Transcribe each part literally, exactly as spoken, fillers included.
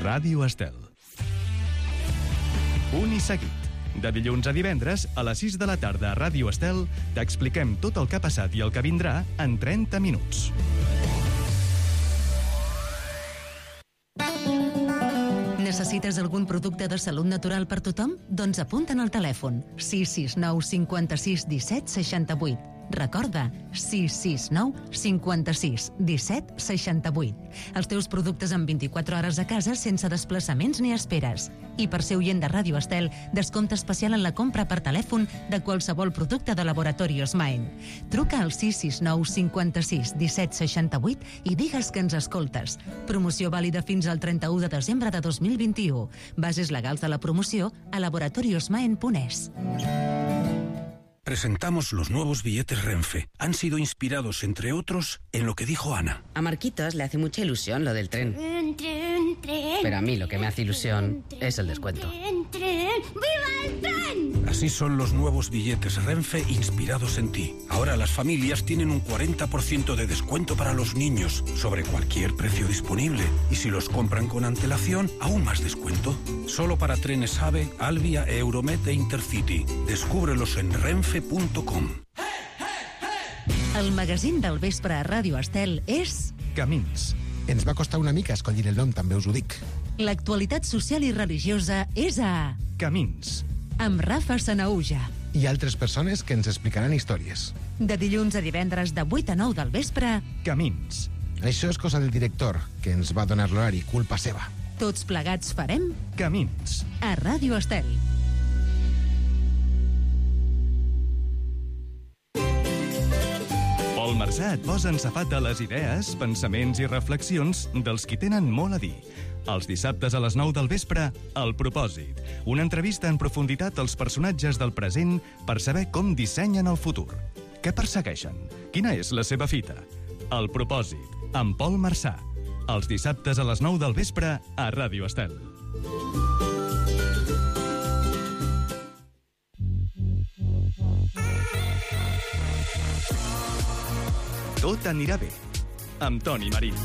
Ràdio Estel. Punt i seguit. De dilluns a divendres, a les sis de la tarda a Ràdio Estel, t'expliquem tot el que ha passat i el que vindrà en trenta minuts. Necessites algun producte de salut natural per tothom? Doncs apunta'n al telèfon sis sis nou cinquanta-sis disset seixanta-vuit. Recorda, sis sis nou cinquanta-sis disset seixanta-vuit. Els teus productes en vint-i-quatre hores a casa sense desplaçaments ni esperes. I per ser oient de Ràdio Estel, descompte especial en la compra per telèfon de qualsevol producte de Laboratorios Maen. Truca al sis sis nou cinquanta-sis disset seixanta-vuit i digues que ens escoltes. Promoció vàlida fins al trenta-u de desembre de dos mil vint-i-u. Bases legals de la promoció a laboratorios maen punt es. Presentamos los nuevos billetes Renfe. Han sido inspirados, entre otros, en lo que dijo Ana. A Marquitos le hace mucha ilusión lo del tren. Tren, tren, tren. Pero a mí lo que me hace ilusión Tren, es el descuento. Tren, tren. ¡Viva el tren! Así son los nuevos billetes Renfe inspirados en ti. Ahora las familias tienen un cuarenta por ciento de descuento para los niños sobre cualquier precio disponible. Y si los compran con antelación, aún más descuento. Solo para trenes AVE, Alvia, Euromet e Intercity. Descúbrelos en renfe punto com. El magazín del vespre a Ràdio Estel és... Camins. Ens va costar una mica escollir el nom, també us ho dic. L'actualitat social i religiosa és a... Camins. Amb Rafa Sanaúja. I altres persones que ens explicaran històries. De dilluns a divendres de vuit a nou del vespre... Camins. Això és cosa del director, que ens va donar l'horari, culpa seva. Tots plegats farem... Camins. A Ràdio Estel. Pol Marsà et posa en safata les idees, pensaments i reflexions dels qui tenen molt a dir. Els dissabtes a les nou del vespre, El Propòsit. Una entrevista en profunditat als personatges del present per saber com dissenyen el futur. Què persegueixen? Quina és la seva fita? El Propòsit, amb Pol Marsà. Els dissabtes a les nou del vespre a Ràdio Estel. Tot anirà bé, amb Toni Marín.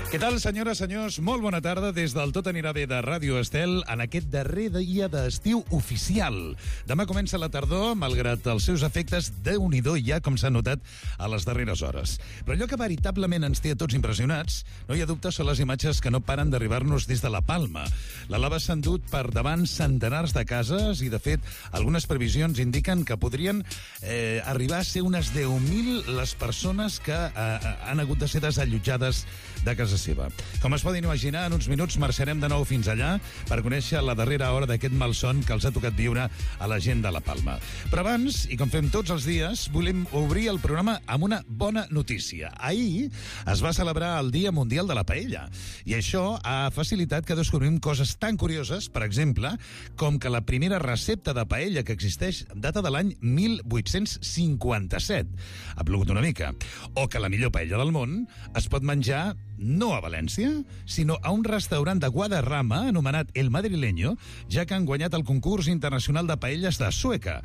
Què tal, senyores, senyors? Molt bona tarda des del Tot anirà bé de Ràdio Estel en aquest darrer dia d'estiu oficial. Demà comença la tardor, malgrat els seus efectes, déu-n'hi-do ja com s'ha notat a les darreres hores. Però allò que veritablement ens té a tots impressionats, no hi ha dubte, són les imatges que no paren d'arribar-nos des de la Palma. La lava s'ha endut per davant centenars de cases i, de fet, algunes previsions indiquen que podrien eh, arribar a ser unes deu mil les persones que eh, han hagut de ser desallotjades de casa seva. Com es poden imaginar, en uns minuts marxarem de nou fins allà per conèixer la darrera hora d'aquest malson que els ha tocat viure a la gent de la Palma. Però abans, i com fem tots els dies, volem obrir el programa amb una bona notícia. Ahir es va celebrar el Dia Mundial de la Paella i això ha facilitat que descobrim coses tan curioses, per exemple, com que la primera recepta de paella que existeix data de l'any mil vuit-cents cinquanta-set. Ha plogut una mica. O que la millor paella del món es pot menjar no a València, sinó a un restaurant de Guadarrama anomenat El Madrileño, ja que han guanyat el concurs internacional de paelles de Sueca.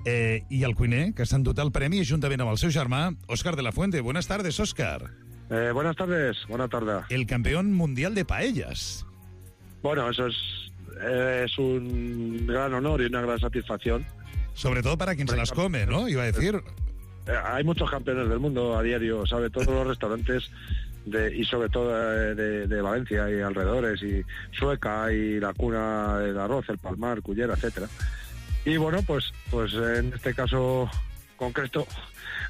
Eh, I el cuiner, que s'ha endut el premi juntament amb el seu germà, Óscar de la Fuente. Buenas tardes, Óscar. Eh, buenas tardes, buena tarde. El campeón mundial de paellas. Bueno, eso es, eh, es un gran honor y una gran satisfacción. Sobre todo para quien se las come, ¿no? Iba a decir... Eh, hay muchos campeones del mundo a diario, ¿sabe? Todos los restaurantes... De, y sobre todo de, de Valencia y alrededores, y Sueca y la cuna del arroz, el Palmar, Cullera, etcétera. Y bueno, pues pues en este caso concreto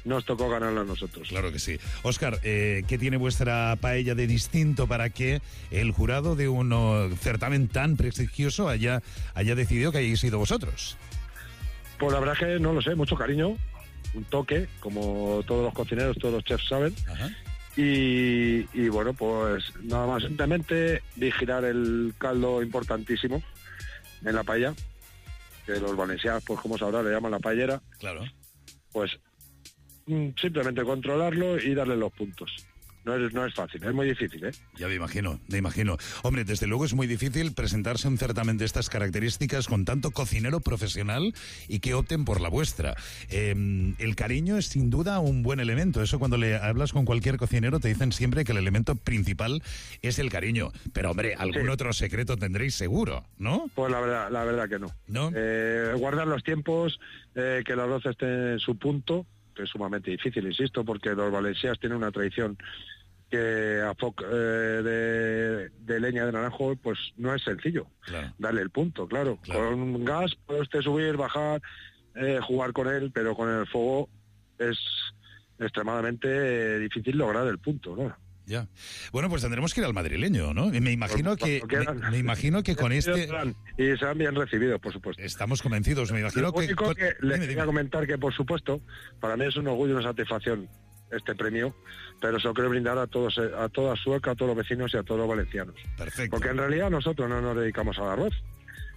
nos tocó ganarlo a nosotros. Claro que sí. Óscar, eh, ¿qué tiene vuestra paella de distinto para que el jurado de un uh, certamen tan prestigioso haya, haya decidido que hayáis sido vosotros? Pues la verdad es que no lo sé, mucho cariño, un toque, como todos los cocineros, todos los chefs saben. Ajá. Y, y bueno, pues nada más, simplemente vigilar el caldo importantísimo en la paella, que los valencianos, pues como sabrá, le llaman la paellera. Claro. Pues simplemente controlarlo y darle los puntos. no es, no es fácil, es muy difícil, ¿eh? Ya me imagino, me imagino. Hombre, desde luego es muy difícil presentarse a un certamen de estas características con tanto cocinero profesional y que opten por la vuestra. Eh, el cariño es sin duda un buen elemento. Eso cuando le hablas con cualquier cocinero te dicen siempre que el elemento principal es el cariño. Pero, hombre, algún sí. otro secreto tendréis seguro, ¿no? Pues la verdad, la verdad que no. ¿No? Eh, guardar los tiempos, eh, que el arroz esté en su punto, que es sumamente difícil, insisto, porque los valencianos tienen una tradición que a foc eh, de, de leña de naranjo, pues no es sencillo. Claro. Darle el punto, claro. claro. Con gas puede usted subir, bajar, eh, jugar con él, pero con el fuego es extremadamente eh, difícil lograr el punto, ¿no? Ya. Bueno, pues tendremos que ir al madrileño, ¿no? Y me imagino que me, me imagino que con este y serán bien recibidos, por supuesto. Estamos convencidos. Me imagino Lo que, único con... que les quería comentar que, por supuesto, para mí es un orgullo y una satisfacción este premio, pero se lo quiero brindar a todos, a toda Sueca, a todos los vecinos y a todos los valencianos. Perfecto. Porque en realidad nosotros no nos dedicamos al arroz,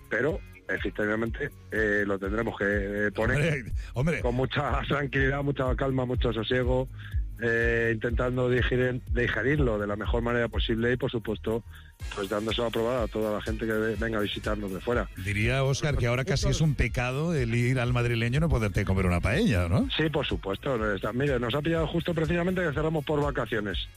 pero efectivamente eh, lo tendremos que poner hombre, hombre. con mucha tranquilidad, mucha calma, mucho sosiego. Eh, intentando digerir, digerirlo de la mejor manera posible y, por supuesto, pues dándoselo a probar a toda la gente que venga a visitarnos de fuera. Diría, Óscar, que ahora casi es un pecado el ir al madrileño y no poderte comer una paella, ¿no? Sí, por supuesto. Mire, nos ha pillado justo precisamente que cerramos por vacaciones,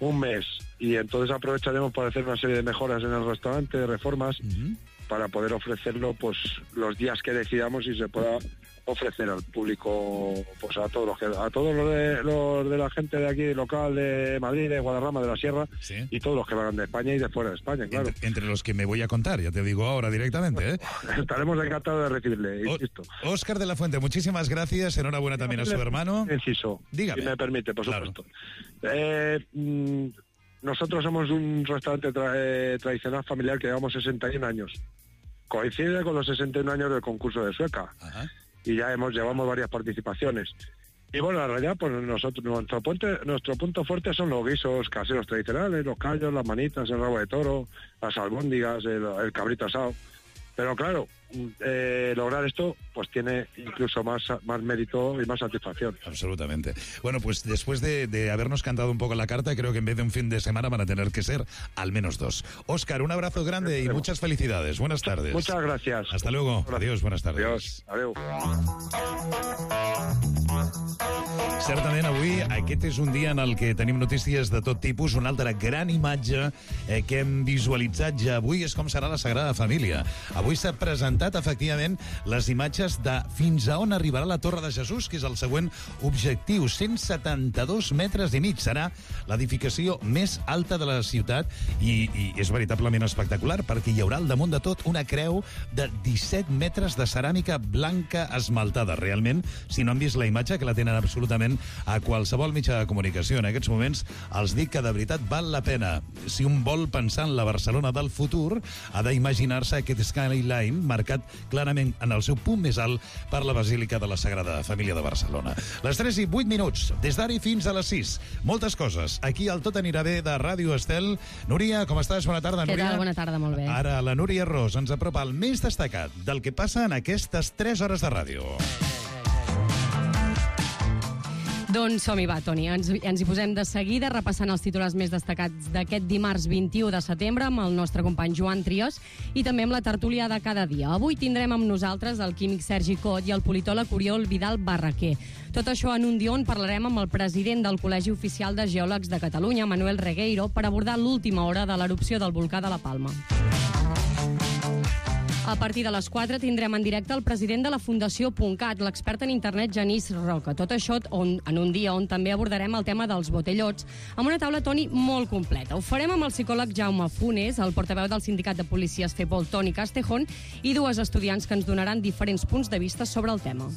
un mes, y entonces aprovecharemos para hacer una serie de mejoras en el restaurante, de reformas, uh-huh. para poder ofrecerlo pues los días que decidamos y se pueda ofrecer al público, pues a todos los que, a todos los de, los de la gente de aquí local de Madrid, de Guadarrama, de la Sierra, ¿sí? y todos los que van de España y de fuera de España, claro. Entre, entre los que me voy a contar, ya te digo ahora directamente, ¿eh? Estaremos encantados de recibirle, insisto. Óscar de la Fuente, muchísimas gracias, enhorabuena también a su hermano. Inciso, dígame. Si me permite, por claro. supuesto. Eh, mmm, nosotros somos un restaurante tra eh, tradicional familiar que llevamos sesenta y un años. Coincide con los sesenta y un años del concurso de Sueca. Ajá. Y ya hemos llevamos varias participaciones. Y bueno, en realidad, pues nosotros nuestro puente, nuestro punto fuerte son los guisos caseros tradicionales, los callos, las manitas, el rabo de toro, las albóndigas, el, el cabrito asado. Pero claro, eh, lograr esto pues tiene incluso más, más mérito y más satisfacción. Absolutamente. Bueno, pues después de, de habernos cantado un poco la carta, creo que en vez de un fin de semana van a tener que ser al menos dos. Óscar, un abrazo grande y muchas felicidades. Buenas tardes. Muchas gracias. Hasta luego. Gracias. Adiós, buenas tardes. Adiós. Adiós. Certament avui aquest és un dia en el que tenim notícies de tot tipus. Una altra gran imatge eh, que hem visualitzat ja avui és com serà la Sagrada Família. Avui s'ha presentat efectivament les imatges de fins a on arribarà la Torre de Jesús, que és el següent objectiu. cent setanta-dos metres i mig. Serà l'edificació més alta de la ciutat i, i és veritablement espectacular perquè hi haurà al damunt de tot una creu de disset metres de ceràmica blanca esmaltada. Realment, si no han vist la imatge, que la tenen absolutament a qualsevol mitjà de comunicació en aquests moments, els dic que de veritat val la pena. Si un vol pensar en la Barcelona del futur, ha d'imaginar-se aquest skyline marcat clarament en el seu punt més alt per la Basílica de la Sagrada Família de Barcelona. Les tres i vuit minuts, des d'ara i fins a les sis. Moltes coses. Aquí al Tot anirà bé de Ràdio Estel. Núria, com estàs? Bona tarda, Núria. Què tal? Bona tarda, molt bé. Ara la Núria Ros ens apropa el més destacat del que passa en aquestes tres hores de ràdio. Doncs som-hi, va, Toni. Ens, ens hi posem de seguida repassant els titulars més destacats d'aquest dimarts vint-i-u de setembre amb el nostre company Joan Trias i també amb la tertúlia de cada dia. Avui tindrem amb nosaltres el químic Sergi Cot i el politòleg Oriol Vidal Barraquer. Tot això en un dia on parlarem amb el president del Col·legi Oficial de Geòlegs de Catalunya, Manuel Regueiro, per abordar l'última hora de l'erupció del volcà de la Palma. A partir de les quatre tindrem en directe el president de la Fundació .cat, l'expert en internet Genís Roca. Tot això on, en un dia on també abordarem el tema dels botellots amb una taula, Toni, molt completa. Ho farem amb el psicòleg Jaume Funes, el portaveu del sindicat de policies Cepol, Toni Castejón, i dues estudiants que ens donaran diferents punts de vista sobre el tema.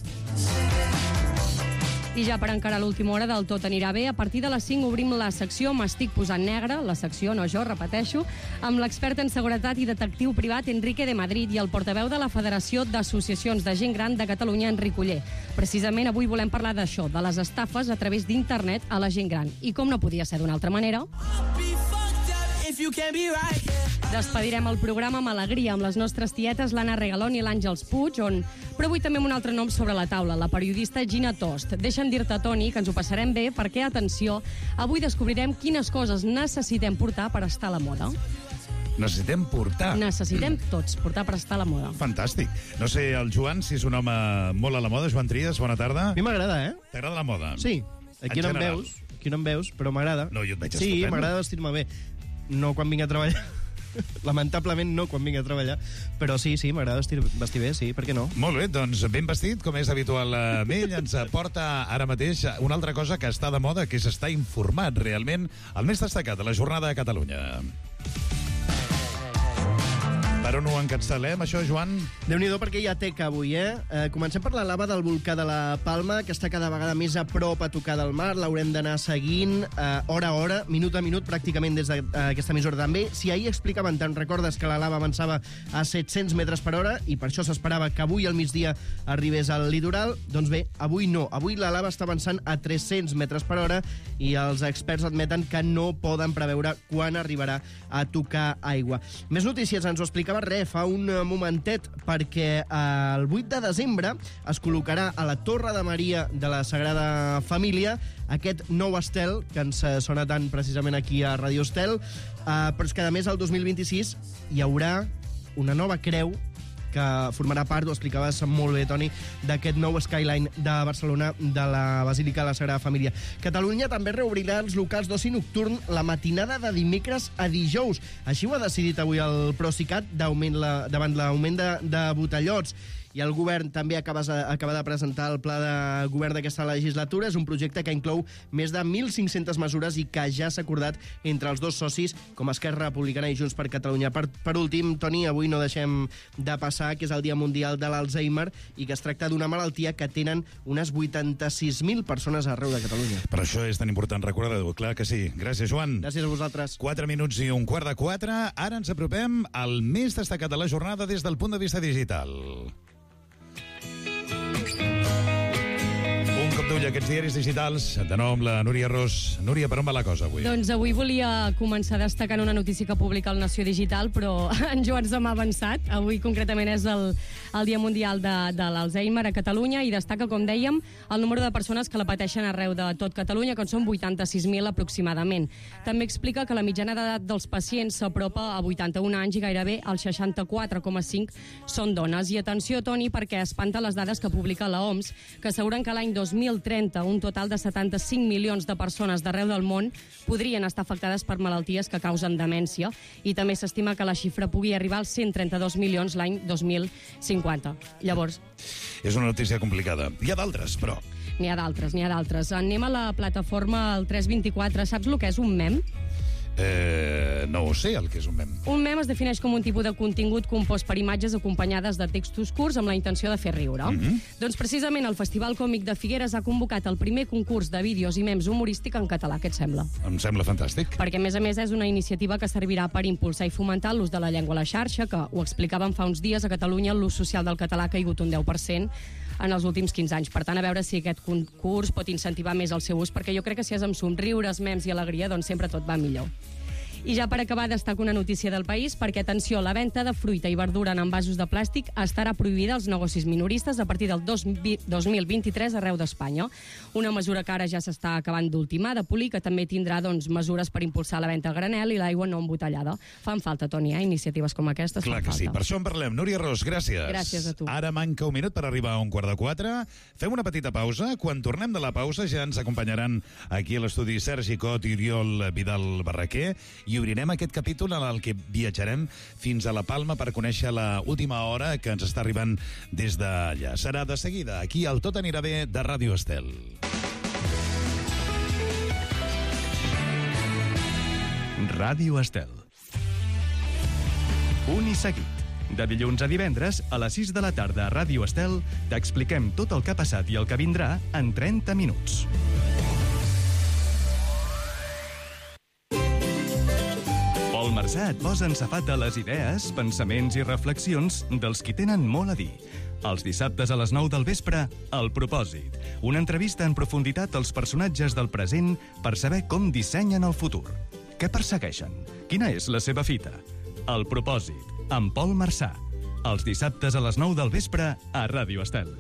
I ja per encarar l'última hora del Tot anirà bé, a partir de les cinc obrim la secció M'estic posant negre, la secció, no jo, repeteixo, amb l'expert en seguretat i detectiu privat Enrique de Madrid i el portaveu de la Federació d'Associacions de Gent Gran de Catalunya, Enric Oller. Precisament avui volem parlar d'això, de les estafes a través d'internet a la gent gran. I com no podia ser d'una altra manera... Despedirem el programa amb alegria amb les nostres tietes l'Anna Regalón i l'Àngels Puig, on... però avui també amb un altre nom sobre la taula, la periodista Gina Tost. Deixa'm dir-te, Toni, que ens ho passarem bé perquè, atenció, avui descobrirem quines coses necessitem portar per estar a la moda. Necessitem portar. Necessitem tots portar per estar a la moda. Fantàstic. No sé, el Joan, si és un home molt a la moda. Joan Trias, bona tarda. A mi m'agrada, eh? T'agrada la moda? Sí. Aquí no em veus, aquí no em veus, però m'agrada. No, jo et veig Sí, estupendo. m'agrada vestir-me bé. No quan vinc a treballar. Lamentablement no quan vinc a treballar. Però sí, sí, m'agrada vestir, vestir bé, sí, per què no? Molt bé, doncs ben vestit, com és habitual amb ell, ens aporta ara mateix una altra cosa que està de moda, que és estar informat realment, el més destacat de la jornada de Catalunya. Per on ho encapçalem, això, Joan? Déu-n'hi-do, perquè hi ha teca avui, eh? eh? Comencem per la lava del volcà de la Palma, que està cada vegada més a prop a tocar del mar. L'haurem d'anar seguint eh, hora a hora, minut a minut, pràcticament des d'aquesta emissora també. Si ahir explicaven, te'n recordes que la lava avançava a set-cents metres per hora i per això s'esperava que avui al migdia arribés al litoral, doncs bé, avui no. Avui la lava està avançant a tres-cents metres per hora i els experts admeten que no poden preveure quan arribarà a tocar aigua. Més notícies, ens ho explicava res, fa un momentet, perquè el vuit de desembre es col·locarà a la Torre de Maria de la Sagrada Família aquest nou estel, que ens sona tant precisament aquí a Radio Estel, eh, però és que a més el dos mil vint-i-sis hi haurà una nova creu que formarà part, ho explicaves molt bé, Toni, d'aquest nou skyline de Barcelona de la Basílica de la Sagrada Família. Catalunya també reobrirà els locals d'oci nocturn la matinada de dimecres a dijous. Així ho ha decidit avui el Procicat d'augment la, davant l'augment de, de botellots. I el govern també acaba, acaba de presentar el pla de govern d'aquesta legislatura. És un projecte que inclou més de mil cinc-centes mesures i que ja s'ha acordat entre els dos socis, com Esquerra Republicana i Junts per Catalunya. Per, per últim, Toni, avui no deixem de passar, que és el Dia Mundial de l'Alzheimer i que es tracta d'una malaltia que tenen unes vuitanta-sis mil persones arreu de Catalunya. Per això és tan important recordar-ho. Clar que sí. Gràcies, Joan. Gràcies a vosaltres. Quatre minuts i un quart de quatre. Ara ens apropem al més destacat de la jornada des del punt de vista digital. Un cop d'ull a aquests diaris digitals, de nou amb la Núria Ros. Núria, per on va la cosa avui? Doncs avui volia començar destacant una notícia que publica el Nació Digital, però en Joan se m'ha avançat. Avui concretament és el, el Dia Mundial de, de l'Alzheimer a Catalunya i destaca, com dèiem, el número de persones que la pateixen arreu de tot Catalunya, que en són vuitanta-sis mil aproximadament. També explica que la mitjana d'edat dels pacients s'apropa a vuitanta-un anys i gairebé el seixanta-quatre coma cinc són dones. I atenció, Toni, perquè espanta les dades que publica la O M S, que asseguren que l'any dos mil trenta un total de setanta-cinc milions de persones d'arreu del món podrien estar afectades per malalties que causen demència i també s'estima que la xifra pugui arribar als cent trenta-dos milions l'any dos mil cinquanta. Llavors... És una notícia complicada. Hi ha d'altres, però... N'hi ha d'altres, n'hi ha d'altres. Anem a la plataforma el tres vint-i-quatre. Saps el que és un mem? Eh, no ho sé, el que és un mem. Un mem es defineix com un tipus de contingut compost per imatges acompanyades de textos curts amb la intenció de fer riure. Mm-hmm. Doncs precisament el Festival Còmic de Figueres ha convocat el primer concurs de vídeos i mems humorístic en català. Què et sembla? Em sembla fantàstic. Perquè, a més a més, és una iniciativa que servirà per impulsar i fomentar l'ús de la llengua a la xarxa, que ho explicàvem fa uns dies, a Catalunya l'ús social del català ha caigut un deu per cent en els últims quinze anys. Per tant, a veure si aquest concurs pot incentivar més el seu ús, perquè jo crec que si és amb somriures, mems i alegria, doncs sempre tot va millor. I ja per acabar destaco una notícia del País, perquè, atenció, la venda de fruita i verdura en envasos de plàstic estarà prohibida als negocis minoristes a partir del dos mil vint-i-tres arreu d'Espanya. Una mesura que ara ja s'està acabant d'ultimar, de polir, que també tindrà doncs, mesures per impulsar la venda a granel i l'aigua no embotellada. Fan falta, Toni, eh? Iniciatives com aquestes. Clar que falta. Sí, per això en parlem. Núria Ros, gràcies. Gràcies a tu. Ara manca un minut per arribar a un quart de quatre. Fem una petita pausa. Quan tornem de la pausa ja ens acompanyaran aquí a l'estudi Sergi Cot i Oriol Vidal Barraquer i obrirem aquest capítol en el que viatjarem fins a la Palma per conèixer la última hora que ens està arribant des d'allà. Serà de seguida, aquí al Tot anirà bé de Ràdio Estel. Ràdio Estel. Un i seguit. De dilluns a divendres, a les sis de la tarda a Ràdio Estel, t'expliquem tot el que ha passat i el que vindrà en trenta minuts. Pol Marsà et posa en safat a les idees, pensaments i reflexions dels qui tenen molt a dir. Els dissabtes a les nou del vespre, El Propòsit. Una entrevista en profunditat als personatges del present per saber com dissenyen el futur. Què persegueixen? Quina és la seva fita? El propòsit, amb Pol Marçà. Els dissabtes a les nou del vespre a Ràdio Estel.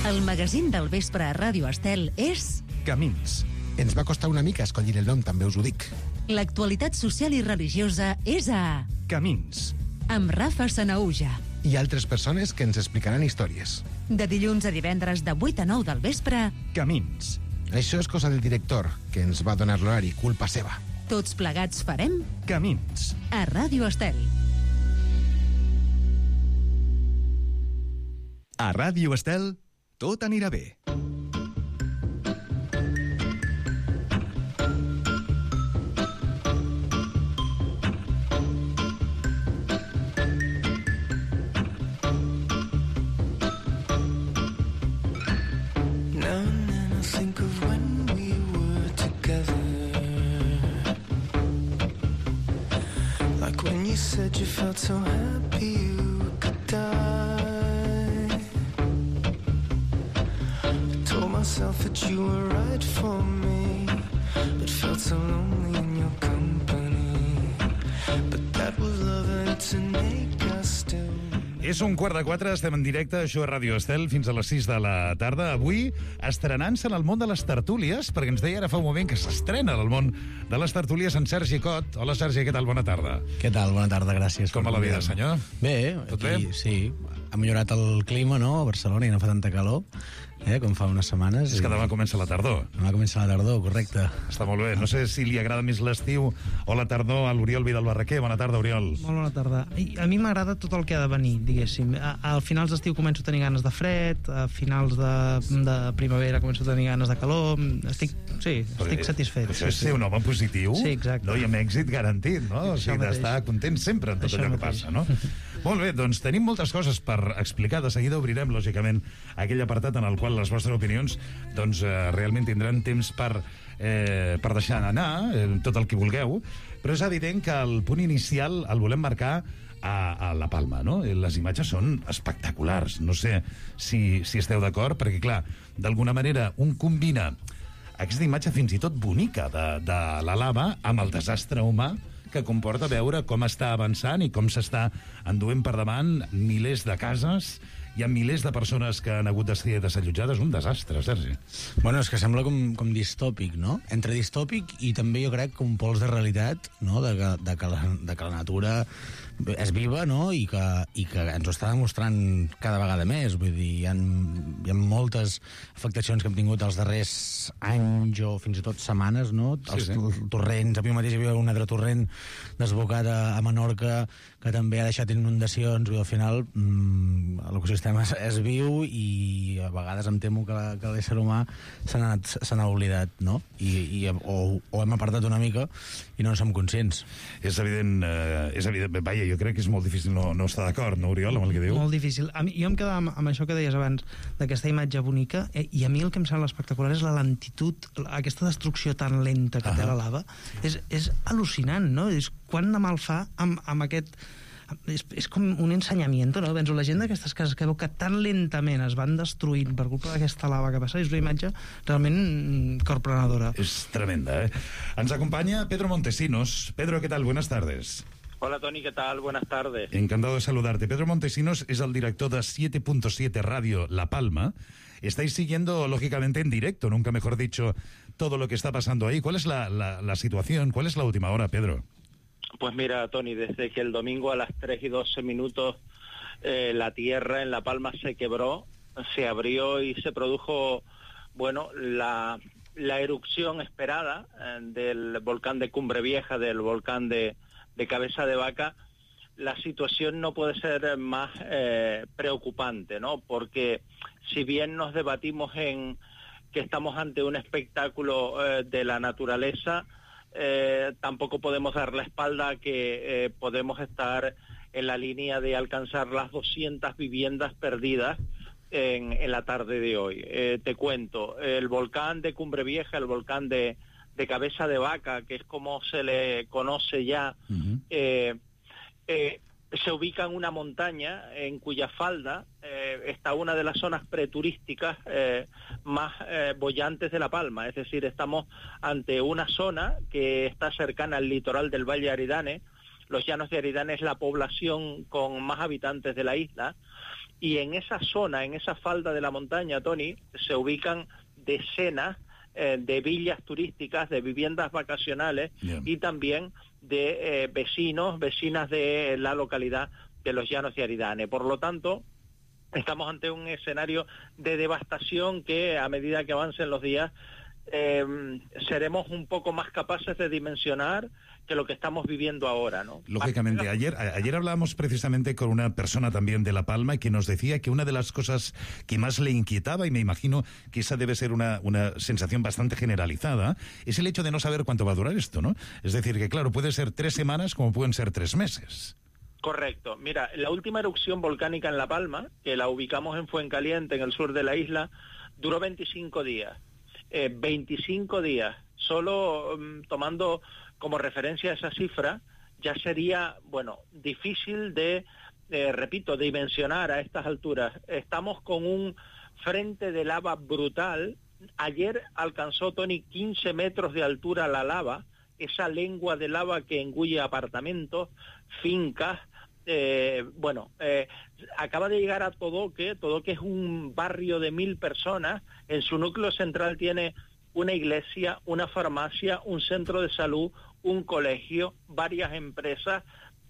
El magazín del vespre a Ràdio Estel és... Camins. Ens va costar una mica escollir el nom, també us ho dic. L'actualitat social i religiosa és a... Camins. Amb Rafa Sanaúja. I altres persones que ens explicaran històries. De dilluns a divendres de vuit a nou del vespre... Camins. Això és cosa del director, que ens va donar l'horari, culpa seva. Tots plegats farem... Camins. A Ràdio Estel. A Ràdio Estel, tot anirà bé. Said you felt so happy you could die. I told myself that you were right for me, but felt so lonely in your company. But that was love and to make us still. És un quart de quatre, estem en directe, això a Ràdio Estel, fins a les sis de la tarda. Avui, estrenant-se en el món de les tertúlies, perquè ens deia ara fa un moment que s'estrena en el món de les tertúlies en Sergi Cot. Hola, Sergi, què tal? Bona tarda. Què tal? Bona tarda, gràcies. Com va la vida, senyor? Bé, Tot aquí, bé? sí. Ha millorat el clima, no?, a Barcelona, i no fa tanta calor, eh, com fa unes setmanes. És que demà comença la tardor. Demà comença la tardor, correcte. Està molt bé. No sé si li agrada més l'estiu o la tardor a l'Oriol Vidal Barraquer. Bona tarda, Oriol. Molt bona tarda. I a mi m'agrada tot el que ha de venir, diguéssim. A, a finals d'estiu començo a tenir ganes de fred, a finals de, de primavera començo a tenir ganes de calor. Estic, sí, estic Però, satisfet. Això és sí, ser un home positiu, sí, exacte. no? I amb èxit garantit, no? O sigui, d'estar content sempre en tot Això allò que mateix. passa, no? Molt bé, doncs tenim moltes coses per explicar. De seguida obrirem, lògicament, aquell apartat en el qual les vostres opinions doncs, eh, realment tindran temps per, eh, per deixar anar eh, tot el que vulgueu, però és evident que el punt inicial el volem marcar a, a La Palma, no? Les imatges són espectaculars. No sé si, si esteu d'acord, perquè, clar, d'alguna manera un combina aquesta imatge fins i tot bonica de, de la lava amb el desastre humà que comporta veure com està avançant i com s'està enduent per davant milers de cases. Hi ha milers de persones que han hagut de ser desallotjades. Un desastre, Sergi. Bueno, és que sembla com, com distòpic, no? Entre distòpic i també jo crec que un pols de realitat, no?, de que, de que, la, de que la natura és viva, no?, i que, i que ens ho està demostrant cada vegada més. Vull dir, hi ha, hi ha moltes afectacions que hem tingut els darrers anys o fins i tot setmanes, no? Sí, Els sí. torrents, avui mateix hi havia un altre torrent desbocat a, a Menorca que també ha deixat inundacions. Vull dir, al final mmm, l'ecosistema és, és viu i a vegades em temo que, la, que l'ésser humà se n'ha anat- se n'ha oblidat, no? I, i, o, o hem apartat una mica i no en som conscients. És evident, eh, és evident, vaja, jo crec que és molt difícil no, no estar d'acord, no, Oriol, amb el que diu? Molt difícil. A mi, jo em quedava amb, amb això que deies abans, d'aquesta imatge bonica, eh, i a mi el que em sembla espectacular és la lentitud, aquesta destrucció tan lenta que Ah. té la lava. És, és al·lucinant, no? És quan de mal fa amb, amb aquest... És, és com un ensenyament, no? Penso, la gent d'aquestes cases que veu que tan lentament es van destruint per culpa d'aquesta lava que passa, és una imatge realment mm, corprenedora. És tremenda, eh? Ens acompaña Pedro Montesinos. Pedro, ¿qué tal? Buenas tardes. Hola Toni, ¿qué tal? Buenas tardes. Encantado de saludarte. Pedro Montesinos es el director de siete punto siete Radio La Palma. Estáis siguiendo, lógicamente, en directo, nunca mejor dicho, todo lo que está pasando ahí. ¿Cuál es la, la, la situación? ¿Cuál es la última hora, Pedro? Pues mira, Toni, desde que el domingo a las tres y doce minutos eh, la tierra en La Palma se quebró, se abrió y se produjo, bueno, la, la erupción esperada eh, del volcán de Cumbre Vieja, del volcán de, de Cabeza de Vaca, la situación no puede ser más eh, preocupante, ¿no? Porque si bien nos debatimos en que estamos ante un espectáculo eh, de la naturaleza, eh, tampoco podemos dar la espalda a que eh, podemos estar en la línea de alcanzar las doscientas viviendas perdidas en, en la tarde de hoy. Eh, te cuento, el volcán de Cumbre Vieja, el volcán de, de Cabeza de Vaca, que es como se le conoce ya, uh-huh. eh, eh, se ubica en una montaña en cuya falda eh, está una de las zonas preturísticas eh, más eh, bollantes de La Palma. Es decir, estamos ante una zona que está cercana al litoral del Valle de Aridane. Los Llanos de Aridane es la población con más habitantes de la isla, y en esa zona, en esa falda de la montaña, Tony, se ubican decenas eh, de villas turísticas, de viviendas vacacionales, yeah. y también de eh, vecinos, vecinas de la localidad de los Llanos de Aridane. Por lo tanto, estamos ante un escenario de devastación que, a medida que avancen los días, eh, seremos un poco más capaces de dimensionar que lo que estamos viviendo ahora, ¿no? Lógicamente, ayer, ayer hablábamos precisamente con una persona también de La Palma que nos decía que una de las cosas que más le inquietaba, y me imagino que esa debe ser una, una sensación bastante generalizada, es el hecho de no saber cuánto va a durar esto, ¿no? Es decir, que claro, puede ser tres semanas como pueden ser tres meses. Correcto. Mira, la última erupción volcánica en La Palma, que la ubicamos en Fuencaliente, en el sur de la isla, duró veinticinco días. Eh, veinticinco días. Solo um, tomando como referencia esa cifra, ya sería, bueno, difícil de, eh, repito, dimensionar a estas alturas. Estamos con un frente de lava brutal. Ayer alcanzó, Tony, quince metros de altura la lava, esa lengua de lava que engulle apartamentos, fincas. Eh, bueno, eh, acaba de llegar a Todoque. Todoque es un barrio de mil personas. En su núcleo central tiene una iglesia, una farmacia, un centro de salud, un colegio, varias empresas,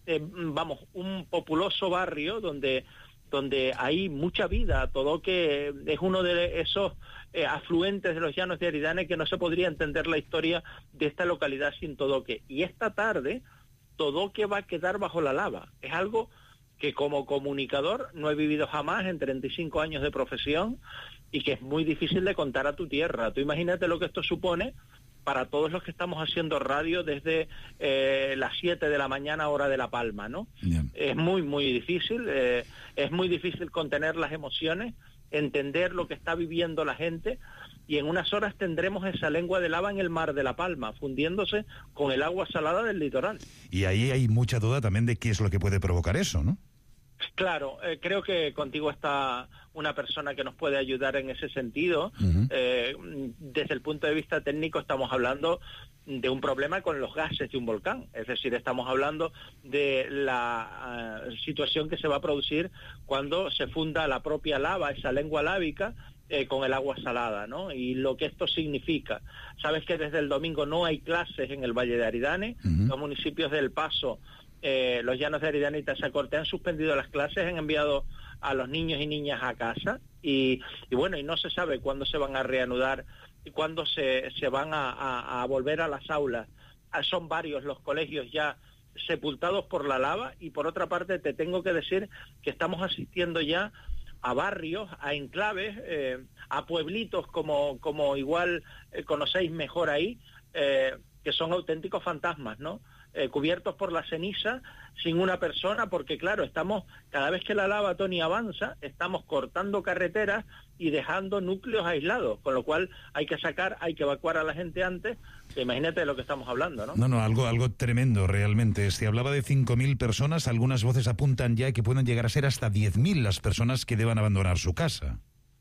eh, vamos, un populoso barrio donde donde hay mucha vida. Todoque es uno de esos eh, afluentes de los Llanos de Aridane que no se podría entender la historia de esta localidad sin Todoque. Y esta tarde Todoque va a quedar bajo la lava. Es algo que como comunicador no he vivido jamás en treinta y cinco años de profesión, y que es muy difícil de contar a tu tierra. Tú imagínate lo que esto supone para todos los que estamos haciendo radio desde eh, las siete de la mañana, hora de La Palma, ¿no? Yeah. Es muy, muy difícil, eh, es muy difícil contener las emociones, entender lo que está viviendo la gente, y en unas horas tendremos esa lengua de lava en el mar de La Palma, fundiéndose con el agua salada del litoral. Y ahí hay mucha duda también de qué es lo que puede provocar eso, ¿no? Claro, eh, creo que contigo está una persona que nos puede ayudar en ese sentido. Uh-huh. Eh, desde el punto de vista técnico estamos hablando de un problema con los gases de un volcán, es decir, estamos hablando de la uh, situación que se va a producir cuando se funda la propia lava, esa lengua lábica, eh, con el agua salada, ¿no? Y lo que esto significa. Sabes que desde el domingo no hay clases en el Valle de Aridane. Uh-huh. Los municipios del Paso, Eh, los Llanos de Aridane y Tazacorte han suspendido las clases, han enviado a los niños y niñas a casa, y, y bueno, y no se sabe cuándo se van a reanudar y cuándo se, se van a, a, a volver a las aulas. Ah, son varios los colegios ya sepultados por la lava, y por otra parte te tengo que decir que estamos asistiendo ya a barrios, a enclaves, eh, a pueblitos como, como igual eh, conocéis mejor ahí, eh, que son auténticos fantasmas, ¿no? Eh, cubiertos por la ceniza, sin una persona, porque claro, estamos, cada vez que la lava, Tony, avanza, estamos cortando carreteras y dejando núcleos aislados, con lo cual hay que sacar, hay que evacuar a la gente antes. Imagínate de lo que estamos hablando, ¿no? No, no, algo, algo tremendo realmente. Se hablaba de cinco mil personas, algunas voces apuntan ya que pueden llegar a ser hasta diez mil las personas que deban abandonar su casa.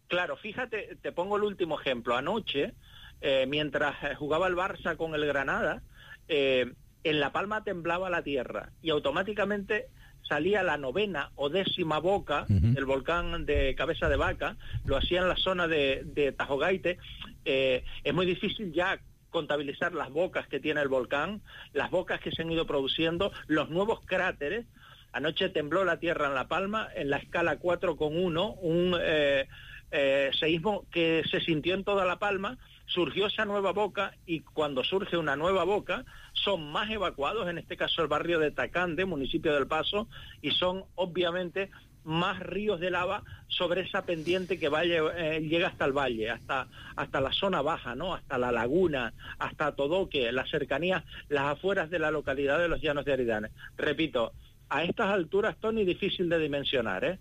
Claro, fíjate, te pongo el último ejemplo. Anoche, eh, mientras jugaba el Barça con el Granada, eh, en La Palma temblaba la tierra y automáticamente salía la novena o décima boca uh-huh. del volcán de Cabeza de Vaca, lo hacía en la zona de, de Tajogaite. Eh, es muy difícil ya contabilizar las bocas que tiene el volcán, las bocas que se han ido produciendo, los nuevos cráteres. Anoche tembló la tierra en La Palma en la escala cuatro coma uno, un eh, eh, seísmo que se sintió en toda La Palma. Surgió esa nueva boca, y cuando surge una nueva boca son más evacuados, en este caso el barrio de Tacande, municipio del Paso, y son obviamente más ríos de lava sobre esa pendiente que vaya, eh, llega hasta el valle, hasta, hasta la zona baja, ¿no? Hasta la laguna, hasta Todoque, las cercanías, las afueras de la localidad de los Llanos de Aridane. Repito, a estas alturas, Tony, difícil de dimensionar, ¿eh?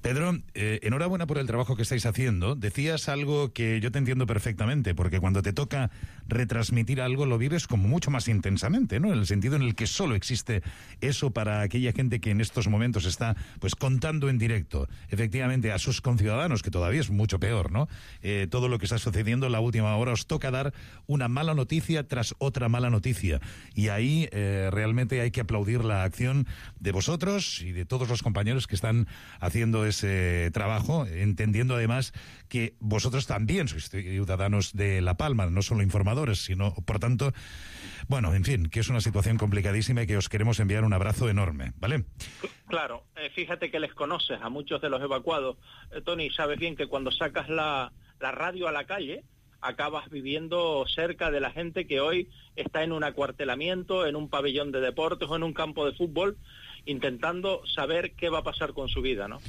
Pedro, eh, enhorabuena por el trabajo que estáis haciendo. Decías algo que yo te entiendo perfectamente, porque cuando te toca retransmitir algo lo vives como mucho más intensamente, ¿no? En el sentido en el que solo existe eso para aquella gente que en estos momentos está pues contando en directo, efectivamente, a sus conciudadanos, que todavía es mucho peor, ¿no? Eh, todo lo que está sucediendo en la última hora, os toca dar una mala noticia tras otra mala noticia. Y ahí eh, realmente hay que aplaudir la acción de vosotros y de todos los compañeros que están haciendo ese trabajo, entendiendo además que vosotros también sois ciudadanos de La Palma, no solo informadores, sino, por tanto, bueno, en fin, que es una situación complicadísima y que os queremos enviar un abrazo enorme, ¿vale? Claro, eh, fíjate que les conoces a muchos de los evacuados. Eh, Tony, sabes bien que cuando sacas la, la radio a la calle, acabas viviendo cerca de la gente que hoy está en un acuartelamiento, en un pabellón de deportes o en un campo de fútbol, intentando saber qué va a pasar con su vida, ¿no?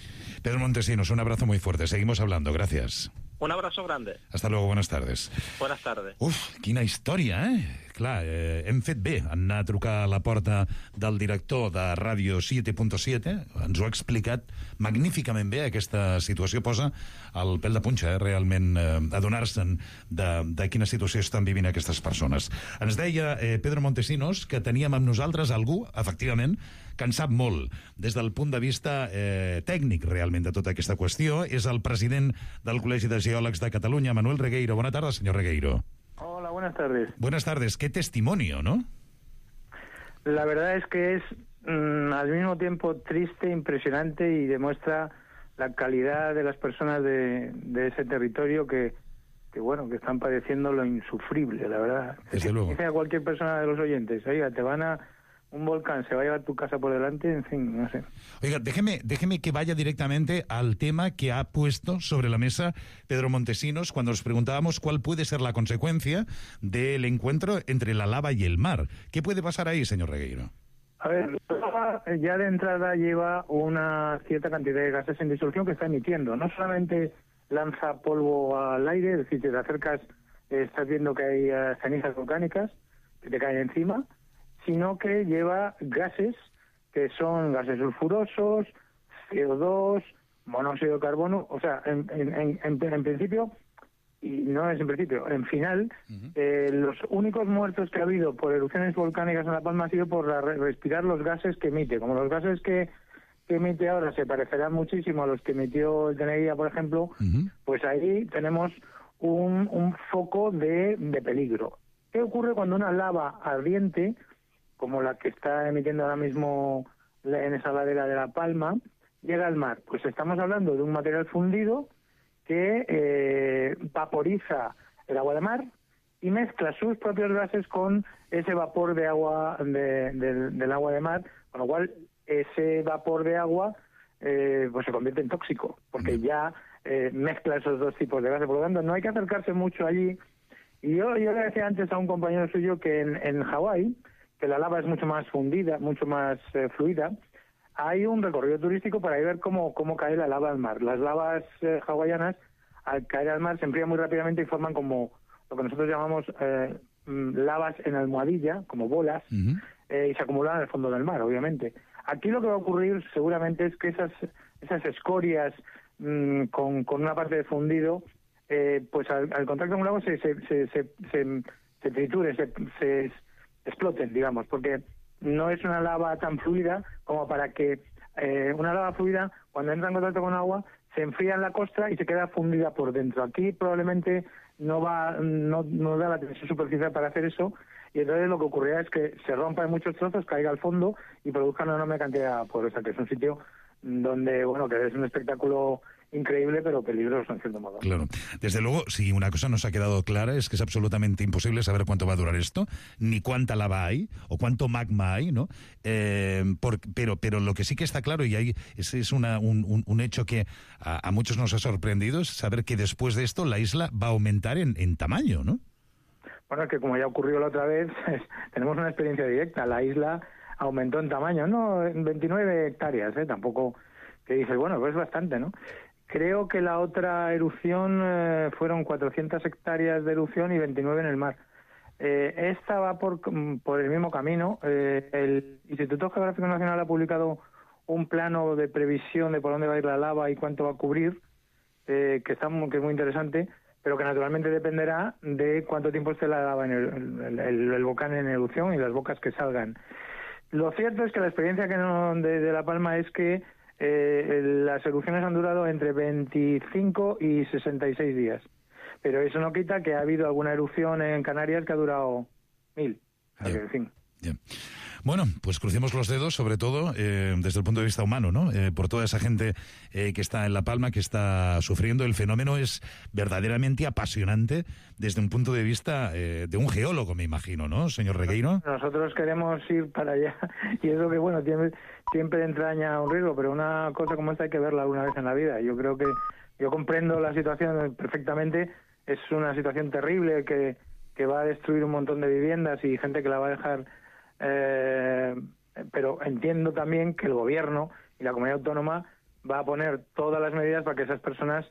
Pedro Montesinos, un abrazo muy fuerte. Seguimos hablando. Gracias. Un abrazo grande. Hasta luego, buenas tardes. Buenas tardes. Uf, quina història, eh? Clar, eh, hem fet bé en anar a trucar a la porta del director de Ràdio siete punto siete. Ens ho ha explicat magníficament bé. Aquesta situació posa el pèl de punxa, eh? Realment eh, adonar-se'n de, de quina situació estan vivint aquestes persones. Ens deia eh, Pedro Montesinos que teníem amb nosaltres algú, efectivament, que en sap molt des del punt de vista eh, tècnic realment de tota aquesta qüestió. És el president del Col·legi de Geòlegs de Catalunya, Manuel Regueiro. Bona tarda, senyor Regueiro. Hola, buenas tardes. Buenas tardes. Qué testimonio, ¿no? La verdad es que es mmm, al mismo tiempo triste, impresionante y demuestra la calidad de las personas de, de ese territorio que, que, bueno, que están padeciendo lo insufrible, la verdad. Desde luego. Dice a cualquier persona de los oyentes, oiga, te van a... un volcán se va a llevar tu casa por delante, en fin, no sé. Oiga, déjeme, déjeme que vaya directamente al tema que ha puesto sobre la mesa Pedro Montesinos cuando nos preguntábamos cuál puede ser la consecuencia del encuentro entre la lava y el mar. ¿Qué puede pasar ahí, señor Regueiro? A ver, la lava ya de entrada lleva una cierta cantidad de gases en disolución que está emitiendo. No solamente lanza polvo al aire, es decir, si te acercas, eh, estás viendo que hay uh, cenizas volcánicas que te caen encima, sino que lleva gases que son gases sulfurosos, C O dos, monóxido de carbono, o sea, en, en, en, en principio, y no es en principio, en final, uh-huh. eh, los únicos muertos que ha habido por erupciones volcánicas en La Palma ha sido por la, respirar los gases que emite. Como los gases que, que emite ahora se parecerán muchísimo a los que emitió el Teneguía, por ejemplo, uh-huh. pues ahí tenemos un, un foco de, de peligro. ¿Qué ocurre cuando una lava ardiente, como la que está emitiendo ahora mismo en esa ladera de La Palma, llega al mar? Pues estamos hablando de un material fundido que eh, vaporiza el agua de mar y mezcla sus propios gases con ese vapor de agua de, de, del agua de mar, con lo cual ese vapor de agua eh, pues se convierte en tóxico, porque ya eh, mezcla esos dos tipos de gases. Por lo tanto, no hay que acercarse mucho allí. Y yo, yo le decía antes a un compañero suyo que en, en Hawái, que la lava es mucho más fundida, mucho más eh, fluida, hay un recorrido turístico para ir a ver cómo, cómo cae la lava al mar. Las lavas eh, hawaianas, al caer al mar, se enfrían muy rápidamente y forman como lo que nosotros llamamos eh, lavas en almohadilla, como bolas, uh-huh. eh, y se acumulan en el fondo del mar, obviamente. Aquí lo que va a ocurrir seguramente es que esas, esas escorias mmm, con, con una parte de fundido, eh, pues al, al contacto con un lago se, se, se, se, se, se trituren, se, se exploten, digamos, porque no es una lava tan fluida como para que eh, una lava fluida, cuando entra en contacto con agua, se enfría en la costa y se queda fundida por dentro. Aquí probablemente no va, no, no da la tensión superficial para hacer eso, y entonces lo que ocurrirá es que se rompa en muchos trozos, caiga al fondo y produzca una enorme cantidad porosa, que es un sitio donde, bueno, que es un espectáculo increíble, pero peligroso en cierto modo. Claro. Desde luego, si una cosa nos ha quedado clara es que es absolutamente imposible saber cuánto va a durar esto, ni cuánta lava hay, o cuánto magma hay, ¿no? Eh, por, pero, pero lo que sí que está claro, y hay, es, es una, un, un, un hecho que a, a muchos nos ha sorprendido, es saber que después de esto la isla va a aumentar en, en tamaño, ¿no? Bueno, es que como ya ocurrió la otra vez, tenemos una experiencia directa. La isla aumentó en tamaño, no, en veintinueve hectáreas, ¿eh? Tampoco que dices, bueno, pues es bastante, ¿no? Creo que la otra erupción eh, fueron cuatrocientas hectáreas de erupción y veintinueve en el mar. Eh, esta va por, por el mismo camino. Eh, el Instituto Geográfico Nacional ha publicado un plano de previsión de por dónde va a ir la lava y cuánto va a cubrir, eh, que, está, que es muy interesante, pero que naturalmente dependerá de cuánto tiempo esté la lava en el, el, el, el volcán en erupción y las bocas que salgan. Lo cierto es que la experiencia que no, de, de La Palma es que eh, las erupciones han durado entre veinticinco y sesenta y seis días, pero eso no quita que ha habido alguna erupción en Canarias que ha durado mil. O sea, que, en fin. Yeah. Bueno, pues crucemos los dedos, sobre todo eh, desde el punto de vista humano, ¿no? Eh, por toda esa gente eh, que está en La Palma, que está sufriendo. El fenómeno es verdaderamente apasionante desde un punto de vista eh, de un geólogo, me imagino, ¿no, señor Regueiro? Nosotros queremos ir para allá y eso que, bueno, siempre, siempre entraña un riesgo, pero una cosa como esta hay que verla alguna vez en la vida. Yo creo que yo comprendo la situación perfectamente. Es una situación terrible que, que va a destruir un montón de viviendas y gente que la va a dejar... Eh, pero entiendo también que el gobierno y la comunidad autónoma va a poner todas las medidas para que esas personas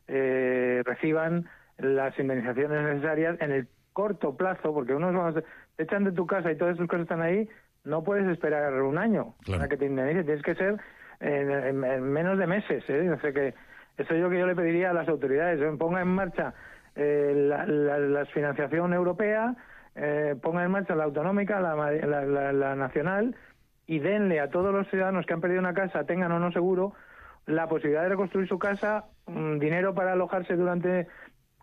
eh, reciban las indemnizaciones necesarias en el corto plazo, porque unos vamos, te echan de tu casa y todas sus cosas están ahí, no puedes esperar un año claro. para que te indemnicen, tienes que ser en, en, en menos de meses, ¿eh? O sea que eso es lo que yo le pediría a las autoridades, ponga en marcha eh, la, la, la financiación europea, Eh, ponga en marcha la autonómica, la, la, la, la nacional, y denle a todos los ciudadanos que han perdido una casa, tengan o no seguro, la posibilidad de reconstruir su casa, um, dinero para alojarse durante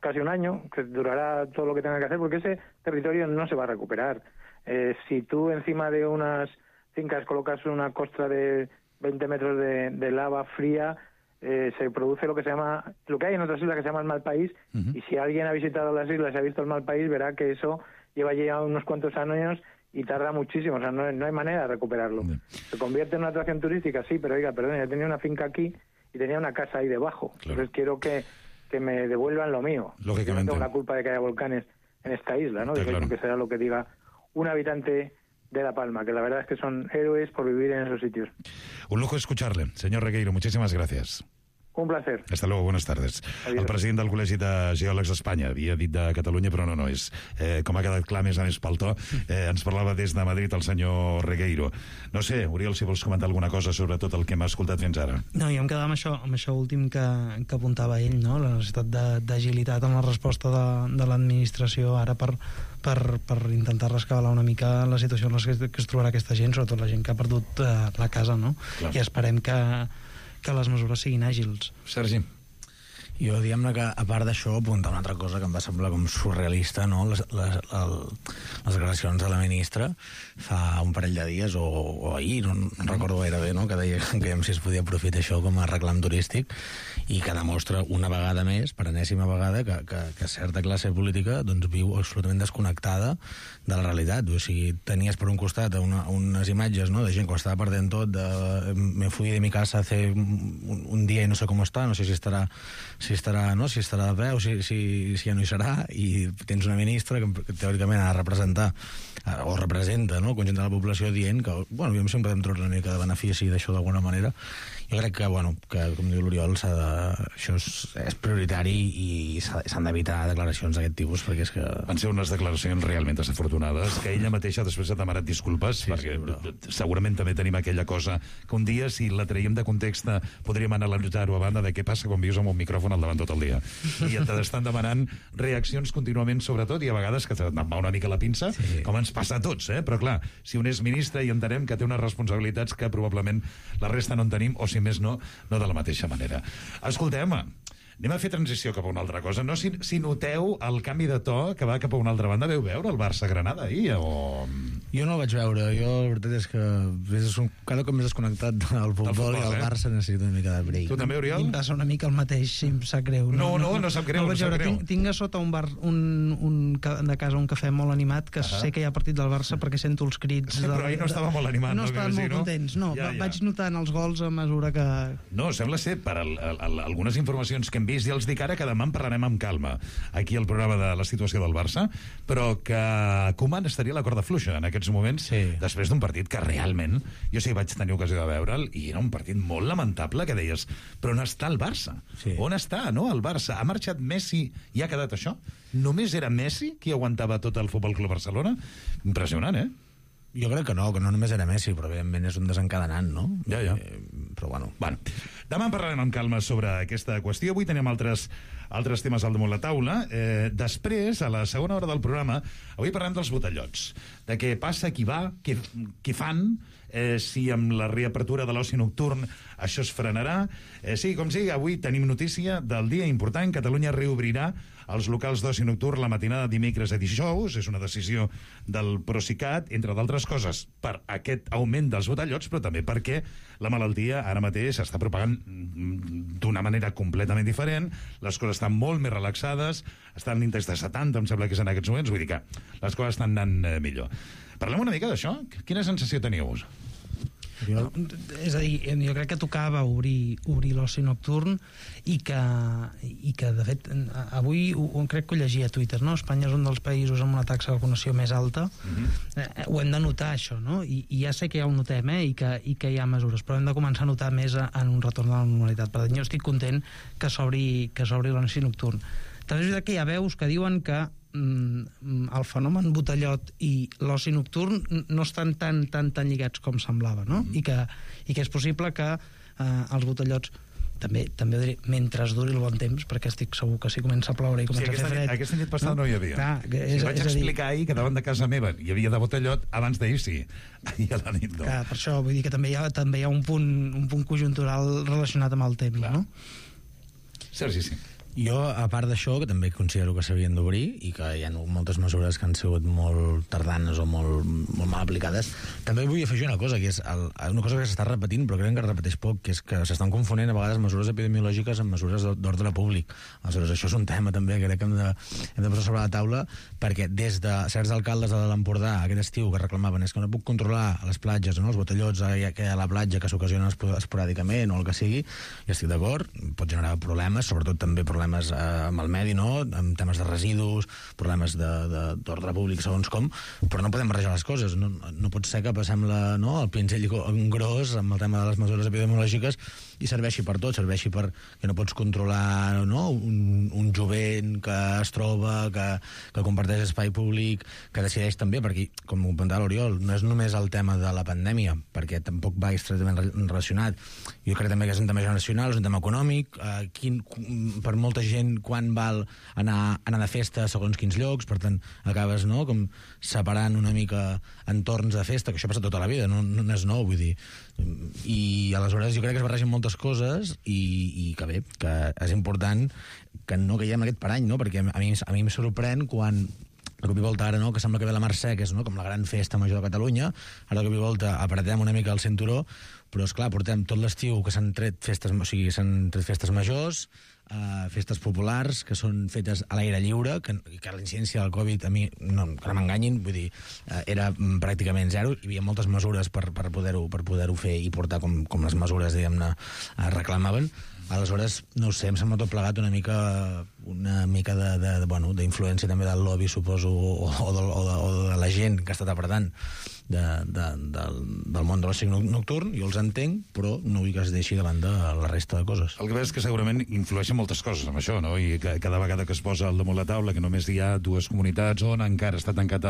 casi un año, que durará todo lo que tenga que hacer, porque ese territorio no se va a recuperar. Eh, si tú encima de unas fincas colocas una costra de veinte metros de, de lava fría, eh, se produce lo que se llama, lo que hay en otras islas que se llama el mal país, uh-huh. y si alguien ha visitado las islas y ha visto el mal país, verá que eso lleva ya unos cuantos años y tarda muchísimo, o sea, no, no hay manera de recuperarlo. Bien. Se convierte en una atracción turística, sí, pero oiga, perdón, yo tenía una finca aquí y tenía una casa ahí debajo, claro. Entonces quiero que, que me devuelvan lo mío. Lógicamente. Yo no tengo la culpa de que haya volcanes en esta isla, ¿no? Claro. Que será lo que diga un habitante de La Palma, que la verdad es que son héroes por vivir en esos sitios. Un lujo escucharle. Señor Regueiro, muchísimas gracias. Un placer. Hasta luego, buenas tardes. Adiós. El president del Col·legi de Geòlegs d'Espanya havia dit de Catalunya, però no, no és. Eh, com ha quedat clar, més a més pel to, eh, ens parlava des de Madrid el senyor Regueiro. No sé, Oriol, si vols comentar alguna cosa sobre tot el que hem escoltat fins ara. No, jo em quedava amb això, amb això últim que, que apuntava ell, no? La necessitat d'agilitat en la resposta de, de l'administració ara per, per, per intentar rescabalar una mica la situació en la que, que es trobarà aquesta gent, sobretot la gent que ha perdut eh, la casa, no? Clar. I esperem que que les mesures siguin àgils. Sergi. Jo, diguem-ne que, a part d'això, apuntar una altra cosa que em va semblar com surrealista, no? Les, les, el, les declaracions de la ministra fa un parell de dies, o, o ahir, no, no recordo gaire bé, no? Que deia que si es podia aprofitar això com a reclam turístic, i que demostra una vegada més, per enèsima vegada, que, que, que certa classe política doncs, viu absolutament desconnectada de la realitat. O sigui, tenies per un costat una, unes imatges, no?, de gent que ho estava perdent tot, de me fui de mi casa hace un, un dia i no sé com està, no sé si estarà si estarà, no? si estarà de peu, si, si, si ja no hi serà, i tens una ministra que, que teòricament ha de representar o representa, no?, el conjunt de la població, dient que, bueno, jo sempre podem treure una mica de benefici d'això d'alguna manera. Jo crec que, bueno, que, com diu l'Oriol, s'ha de, això és, és prioritari i s'han d'evitar declaracions d'aquest tipus, perquè és que... Van ser unes declaracions realment desafortunades, que ella mateixa després ha demanat disculpes, sí, perquè sí, però... segurament també tenim aquella cosa que un dia, si la traiem de context, podríem analitzar-ho a banda de què passa quan vius amb un micròfon al davant tot el dia. I t'estan demanant reaccions contínuament, sobretot, i a vegades que te'n va una mica la pinça, sí, com ens passa a tots, eh? Però clar, si un és ministre i entenem que té unes responsabilitats que probablement la resta no en tenim, o si més no, no de la mateixa manera. Escoltem, anem a fer transició cap a una altra cosa. No si, si noteu el canvi de to que va cap a una altra banda. Veu veure el Barça-Granada ahir? O... Jo no el vaig veure. Jo, la veritat és que és un, cada cop més desconnectat del futbol, futbol i el eh? Barça necessita una mica de break. Tu també, Oriol? I em passa una mica el mateix, si em sap greu. No, no, no, no sap greu. No, no sap greu. Tinc, tinc a sota un bar un, un, de casa un cafè molt animat, que uh -huh. sé que hi ha partit del Barça perquè sento els crits. Sí, però ahir no estava molt animat. No, no estaven molt no? contents, no. Ja, ja. Vaig notant els gols a mesura que... No, sembla ser, per al, al, algunes informacions que hem vist, ja els dic ara que demà en parlarem amb calma aquí al programa de la situació del Barça, però que Koeman estaria a la corda fluixa en aquests moments, sí, després d'un partit que realment, jo sí vaig tenir ocasió de veure'l, i era un partit molt lamentable, que deies, però on està el Barça? Sí. On està, no, el Barça? Ha marxat Messi i ha quedat això? Només era Messi qui aguantava tot el Futbol Club Barcelona? Impressionant, eh? Jo crec que no, que no només era Messi, però evidentment és un desencadenant, no? Ja, ja. Eh, però bueno. Bueno, demà en parlarem amb calma sobre aquesta qüestió. Avui tenim altres, altres temes al damunt la taula. Eh, després, a la segona hora del programa, avui parlem dels botellots. De què passa, qui va, què, què fan, eh, si amb la reapertura de l'oci nocturn això es frenarà. Eh, sí, com sigui, avui tenim notícia del dia important. Catalunya reobrirà els locals d'oci nocturn la matinada dimecres a dijous. És una decisió del Procicat, entre d'altres coses, per aquest augment dels botellots, però també perquè la malaltia ara mateix s'està propagant d'una manera completament diferent, les coses estan molt més relaxades, estan en l'índex de setanta, em sembla que és en aquests moments, vull dir que les coses estan anant eh, millor. Parlem una mica d'això? Quina sensació teniu? No, és a dir, jo crec que tocava obrir, obrir l'oci nocturn i que, i que, de fet, avui ho, crec que ho llegia a Twitter, no? Espanya és un dels països amb una taxa de vacunació més alta. Mm-hmm. eh, ho hem de notar, això, no? I, i ja sé que ja ho notem, eh? I que, i que hi ha mesures, però hem de començar a notar més en un retorn a la normalitat. Per tant, jo estic content que s'obri que s'obri l'oci nocturn. També és veritat que hi ha veus que diuen que el fenomen botellot i l'oci nocturn no estan tan, tan, tan lligats com semblava, no? Mm-hmm. I, que, i que és possible que eh, els botellots també, també diré, mentre duri el bon temps, perquè estic segur que si comença a ploure i comença sí, a fer fred... Aquesta nit passada no, no hi havia. Clar, és, si vaig és explicar dir... ahir que davant de casa meva hi havia de botellot, abans d'ahir sí, ahir a la nit no. Clar, per això vull dir que també hi ha, també hi ha un, punt, un punt conjuntural relacionat amb el temps, clar. No? Sergi, sí. Jo, a part d'això, que també considero que s'havien d'obrir i que hi ha moltes mesures que han sigut molt tardanes o molt, molt mal aplicades, també vull afegir una cosa, que és el, una cosa que s'està repetint, però crec que es repeteix poc, que és que s'estan confonent a vegades mesures epidemiològiques amb mesures d'ordre públic. Aleshores, això és un tema també que crec que hem de, hem de posar sobre la taula, perquè des de certs alcaldes de l'Empordà aquest estiu que reclamaven és que no puc controlar a les platges, no? Els botellots que a la platja que s'ocasionen esporàdicament o el que sigui, i estic d'acord, pot generar problemes, sobretot també problemes problemes eh, amb el medi, no? Amb temes de residus, problemes d'ordre públic segons com, però no podem barrejar les coses. No, no pot ser que passem la, no, el pinzell gros amb el tema de les mesures epidemiològiques i serveixi per tot, serveixi per que no pots controlar, no? un, un jovent que es troba, que, que comparteix espai públic, que decideix també, perquè, com ho comentava l'Oriol, no és només el tema de la pandèmia, perquè tampoc va estretament relacionat. Jo crec també que és un tema generacional, és un tema econòmic, eh, quin, per molta gent quan val anar, anar de festa segons quins llocs, per tant acabes, no?, com separant una mica entorns de festa, que això passa tota la vida, no, no és nou, vull dir, i aleshores jo crec que es barregen moltes coses i, i que bé, que és important que no caiguem en aquest parany, no?, perquè a mi, a mi em sorprèn quan de cop i volta ara, no?, que sembla que ve la Mercè, que és, no?, com la gran festa major de Catalunya, ara de cop i volta apretem una mica el cinturó, però esclar, portem tot l'estiu que s'han tret festes, o sigui, s'han tret festes majors, uh, festes populars que són fetes a l'aire lliure, que, que la incidència del Covid a mi, no, que no m'enganyin, vull dir, uh, era pràcticament zero, hi havia moltes mesures per, per poder-ho per poder-ho fer i portar com, com les mesures, diguem-ne, uh, reclamaven. Aleshores, no ho sé, em sembla tot plegat una mica una mica de, de, de, bueno, d'influència també del lobby, suposo, o, o, de, o, de, o de la gent que ha estat apretant de, de, del, del món de l'oci nocturn. Jo els entenc, però no vull que es deixi davant de la resta de coses. El que veus és que segurament influeixen moltes coses amb això, no? I que cada vegada que es posa al damunt la taula que només hi ha dues comunitats on encara està tancat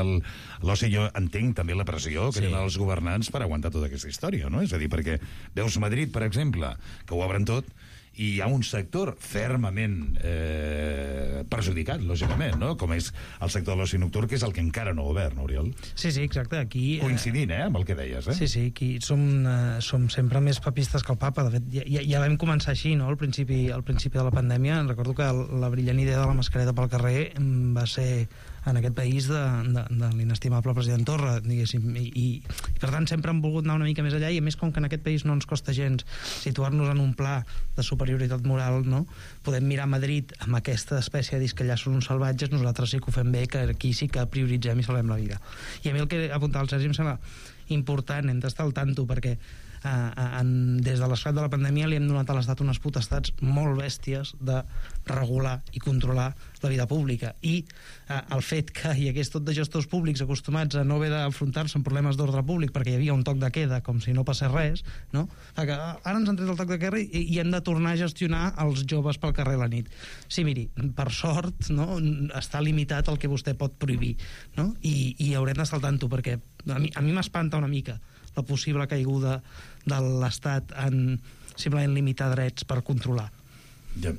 l'oci, jo entenc també la pressió que sí. tenen els governants per aguantar tota aquesta història, no? És a dir, perquè veus Madrid, per exemple, que ho obren tot, i hi ha un sector fermament eh, perjudicat, lògicament, no? Com és el sector de l'oci nocturn, que és el que encara no ha obert, no, Oriol? Sí, sí, exacte. Aquí, coincidint, eh, amb el que deies, eh? Sí, sí, aquí som, eh, som sempre més papistes que el papa. De fet, ja, ja vam començar així, no?, al principi, al principi de la pandèmia. Recordo que la brillant idea de la mascareta pel carrer va ser en aquest país de, de, de l'inestimable president Torra, diguéssim, i, i, i per tant sempre hem volgut anar una mica més allà, i a més com que en aquest país no ens costa gens situar-nos en un pla de superioritat moral, no?, podem mirar Madrid amb aquesta espècie de dir que allà són uns salvatges, nosaltres sí que ho fem bé, que aquí sí que prioritzem i salvem la vida. I a mi el que apuntava el Sergi em sembla important, hem d'estar al tanto, perquè en, des de l'esclat de la pandèmia li hem donat a l'Estat unes potestats molt bèsties de regular i controlar la vida pública, i eh, el fet que hi hagués tot de gestors públics acostumats a no haver d'enfrontar-se amb problemes d'ordre públic perquè hi havia un toc de queda com si no passés res, no? Que ara ens han tret el toc de queda i, i hem de tornar a gestionar els joves pel carrer a la nit. Sí, miri, per sort, no, està limitat el que vostè pot prohibir, no? I, i haurem d'estar al tanto, perquè a mi, a mi m'espanta una mica la possible caiguda de l'Estat en simplement limitar drets per controlar. Ja.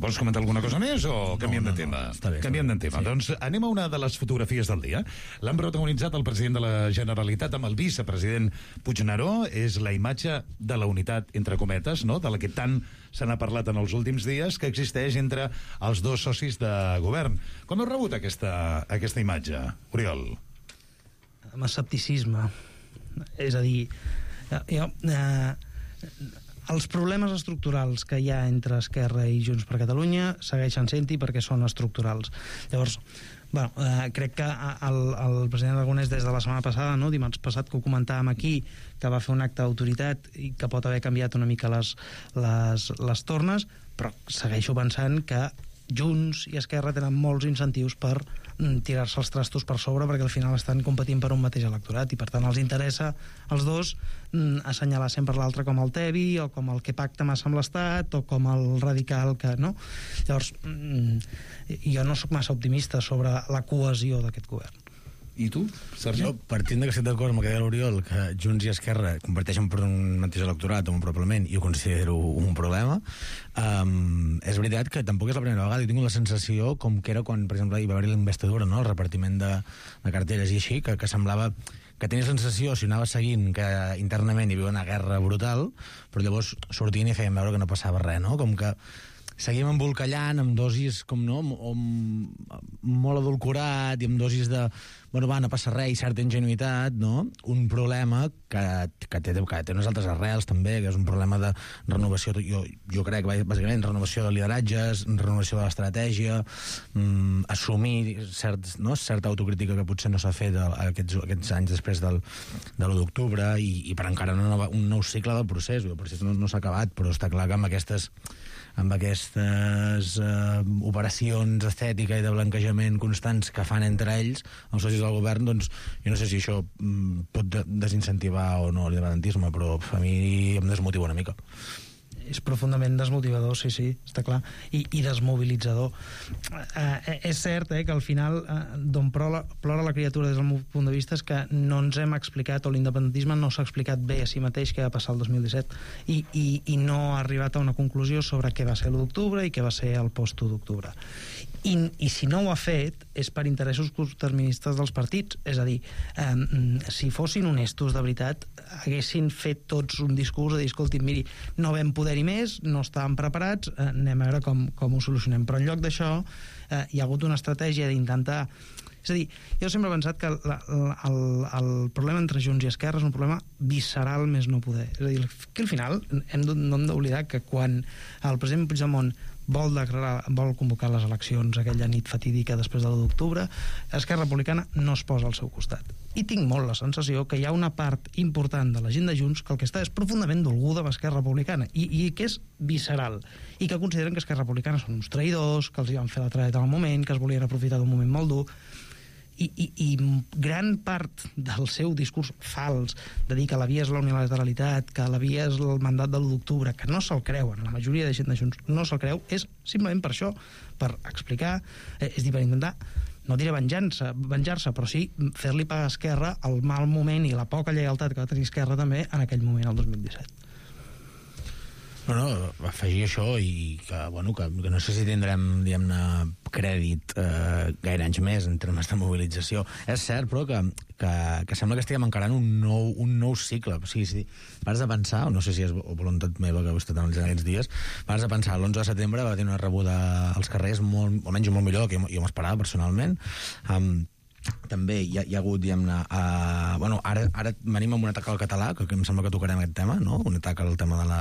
Vols comentar alguna cosa més o canviem no, no, de tema? No, està bé, canviem de tema. Sí. Doncs anem a una de les fotografies del dia. L'han protagonitzat el president de la Generalitat amb el vicepresident Puigneró. És la imatge de la unitat, entre cometes, no?, de la que tant se n'ha parlat en els últims dies, que existeix entre els dos socis de govern. Com heu rebut aquesta, aquesta imatge, Oriol? Amb escepticisme. És a dir, jo... Eh, els problemes estructurals que hi ha entre Esquerra i Junts per Catalunya segueixen sent-hi perquè són estructurals. Llavors, bueno, eh, crec que el, el president Aragonès des de la setmana passada, no, dimarts passat, que ho comentàvem aquí, que va fer un acte d'autoritat i que pot haver canviat una mica les, les, les tornes, però segueixo pensant que Junts i Esquerra tenen molts incentius per tirar-se els trastos per sobre, perquè al final estan competint per un mateix electorat i per tant els interessa als dos assenyalar sempre l'altre com el tebi o com el que pacta massa amb l'Estat o com el radical que... no? Llavors, jo no sóc massa optimista sobre la cohesió d'aquest govern. I tu, Sergi? Jo, partint que estic d'acord amb el que deia l'Oriol, que Junts i Esquerra comparteixen per un mateix electorat o un probablement, i ho considero un problema, um, és veritat que tampoc és la primera vegada. Jo tinc la sensació com que era quan, per exemple, hi va haver la investidura, no?, el repartiment de, de carteres i així, que, que semblava que tenia la sensació, si anava seguint, que internament hi havia una guerra brutal, però llavors sortien i feien veure que no passava res, no? Com que seguim embolcallant amb dosis com no, molt adulcorat i amb dosis de, bueno, va, no passa res i certa ingenuïtat, no? Un problema que, que, té, que té unes altres arrels també, que és un problema de renovació, jo, jo crec, bàsicament, renovació de lideratges, renovació de l'estratègia, mm, assumir cert, no, certa autocrítica que potser no s'ha fet aquests, aquests anys després del, de l'u d'octubre i, i per encara una nova, un nou cicle del procés. El procés no, no s'ha acabat, però està clar que amb aquestes amb aquestes eh, operacions estètica i de blanquejament constants que fan entre ells, els socis del govern, doncs jo no sé si això mm, pot de desincentivar o no l'independentisme, però a mi em desmotiva una mica. És profundament desmotivador, sí, sí, està clar, i, i desmobilitzador. Eh, és cert eh, que al final eh, d'on plora, plora la criatura des del meu punt de vista és que no ens hem explicat, o l'independentisme no s'ha explicat bé a si mateix què va passar el dos mil disset i, i, i no ha arribat a una conclusió sobre què va ser l'u d'octubre i què va ser el post-u d'octubre. I, i si no ho ha fet és per interessos curtterministes dels partits, és a dir, eh, si fossin honestos de veritat haguessin fet tots un discurs de dir, escolti, miri, no vam poder-hi més, no estàvem preparats, eh, anem a veure com, com ho solucionem, però en lloc d'això eh, hi ha hagut una estratègia d'intentar... És a dir, jo sempre he pensat que la, la, el, el problema entre Junts i Esquerra és un problema visceral més no poder. És a dir, que al final hem de, no hem d'oblidar que quan el president Puigdemont vol, declarar, vol convocar les eleccions aquella nit fatídica després de l'u d'octubre, Esquerra Republicana no es posa al seu costat. I tinc molt la sensació que hi ha una part important de la gent de Junts que el que està és profundament dolguda amb Esquerra Republicana i, i que és visceral i que consideren que Esquerra Republicana són uns traïdors, que els hi van fer la traeta en el moment, que es volien aprofitar d'un moment molt dur. I, i, i gran part del seu discurs fals de dir que la via és la unilateralitat, que la via és el mandat de l'u d'octubre, que no se'l creuen, la majoria de gent de Junts no se'l creu, és simplement per això, per explicar, eh, és dir, per intentar, no diré venjança, venjar-se, però sí fer-li pagar a Esquerra el mal moment i la poca lleialtat que va tenir Esquerra també en aquell moment, el dos mil disset. No, no, afegir això i que, bueno, que, que no sé si tindrem, diguem-ne, crèdit eh, gaire anys més en termes de mobilització. És cert, però, que, que, que sembla que estiguem encarant un nou, un nou cicle. O sigui, si vas a pensar, no sé si és voluntat meva que ho he estat analitzant aquests dies, vas a pensar, l'onze de setembre va tenir una rebuda als carrers molt, almenys molt millor que jo, jo m'esperava personalment. Um, també hi ha, hi ha hagut, diguem-ne, uh, bueno, ara, ara venim amb un atac al català, que, que em sembla que tocarem aquest tema, no? Un atac al tema de la,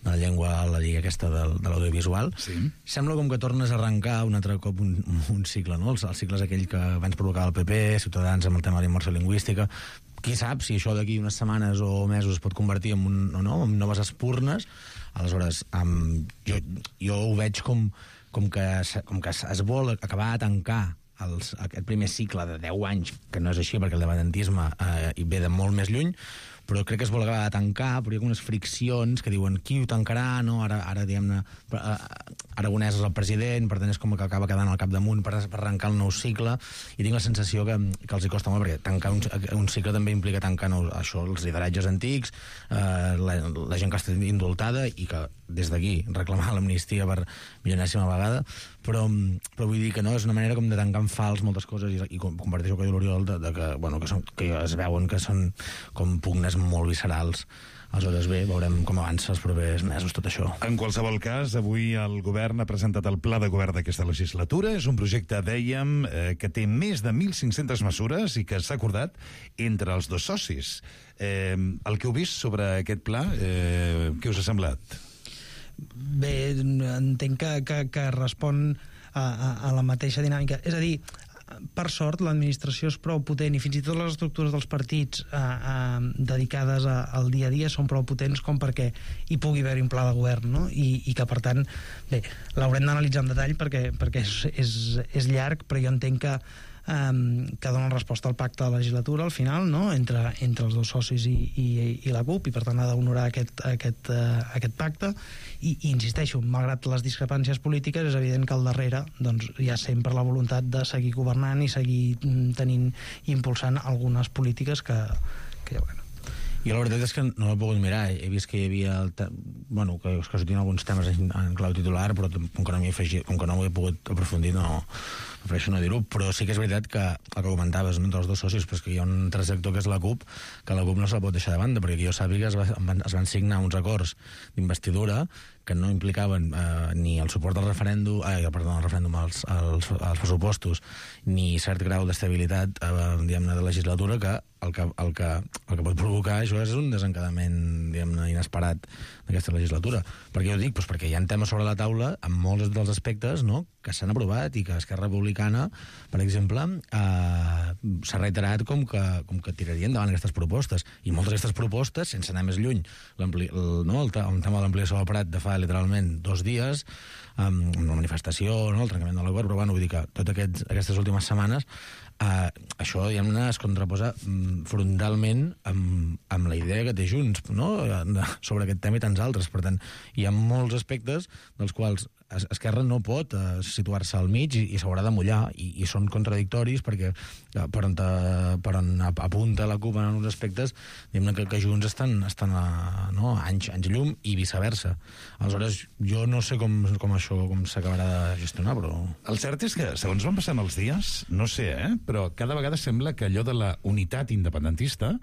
de la llengua, a la llei aquesta de, de l'audiovisual. Sí. Sembla com que tornes a arrencar un altre cop un, un cicle, no? El, el cicle és aquell que abans provocava el P P, Ciutadans amb el tema de la immersió lingüística, qui sap si això d'aquí unes setmanes o mesos es pot convertir en, un, o no, en noves espurnes. Aleshores, um, jo, jo ho veig com, com, que, com que es vol acabar de tancar els, aquest primer cicle de deu anys, que no és així perquè el independentisme eh, hi ve de molt més lluny, però crec que es vol acabar de tancar, però hi ha unes friccions que diuen qui ho tancarà, no? Ara, ara diguem-ne, Aragonès és el president, per tant és com que acaba quedant al capdamunt per, per arrencar el nou cicle, i tinc la sensació que, que els hi costa molt, perquè tancar un, un cicle també implica tancar nou, això, els lideratges antics, eh, la, la gent que està indultada, i que des d'aquí reclamar l'amnistia per milionèsima vegada, però, però vull dir que no, és una manera com de tancar en fals moltes coses, i, i comparteixo que l'Oriol de, de que, bueno, que, són, que es veuen que són com pugnes molt viscerals. Aleshores, bé, veurem com avança els propers mesos tot això. En qualsevol cas, avui el govern ha presentat el pla de govern d'aquesta legislatura. És un projecte, dèiem, eh, que té més de mil cinc-centes mesures i que s'ha acordat entre els dos socis. Eh, el que heu vist sobre aquest pla, eh, què us ha semblat? Bé, entenc que, que, que respon a, a, a la mateixa dinàmica. És a dir, per sort, l'administració és prou potent, i fins i tot les estructures dels partits eh, eh, dedicades a, al dia a dia són prou potents com perquè hi pugui haver un pla de govern, no? I, i que, per tant, bé, l'haurem d'analitzar en detall perquè, perquè és, és, és llarg, però jo entenc que Um, que donen resposta al pacte de legislatura al final, no? entre, entre els dos socis i, i, i la CUP, i per tant ha d'honorar aquest, aquest, uh, aquest pacte, i, i insisteixo, malgrat les discrepàncies polítiques, és evident que al darrere doncs, hi ha sempre la voluntat de seguir governant i seguir tenint i impulsant algunes polítiques que, que ja, bueno. Jo la veritat és que no l'he pogut mirar. He vist que hi havia... El te... bueno, que, que sortien alguns temes en, en clau titular, però com que no m'hi he afegit, com que no ho he pogut aprofundir, no prefereixo no dir-ho, però sí que és veritat que el que comentaves, no, entre els dos socis, però que hi ha un tercer sector que és la CUP, que la CUP no se la pot deixar de banda, perquè jo sàpiga es, va, es van signar uns acords d'investidura que no implicaven eh, ni el suport al referèndum, eh, perdó, al referèndum als, als, als pressupostos, ni cert grau d'estabilitat eh, diguem-ne, de legislatura, que el que, el, que, el que pot provocar això és un desencadament, diguem-ne, inesperat d'aquesta legislatura. Per què ho dic? Pues perquè hi ha temes sobre la taula amb molts dels aspectes, no?, que s'han aprovat i que Esquerra Republicana, per exemple, eh, s'ha reiterat com que, com que tiraria endavant aquestes propostes. I moltes d'aquestes propostes, sense anar més lluny, el, no, el, el tema de l'ampliació del Prat de fa literalment dos dies, amb una manifestació, no, el trencament de l'acord, però bueno, vull dir que totes aquests, aquestes últimes setmanes Uh, això, diguem-ne, es contraposa um, frontalment amb, amb la idea que té Junts, no?, sobre aquest tema i tants altres. Per tant, hi ha molts aspectes dels quals Esquerra no pot uh, situar-se al mig i, i s'haurà de mullar, i, i són contradictoris perquè uh, per, on te, per on apunta la CUP en uns aspectes, diguem-ne que, que Junts estan, estan a, no, anys, anys llum i viceversa. Aleshores, jo no sé com, com això com s'acabarà de gestionar, però... El cert és que, segons van passant els dies, no sé, eh?, però cada vegada sembla que allò de la unitat independentista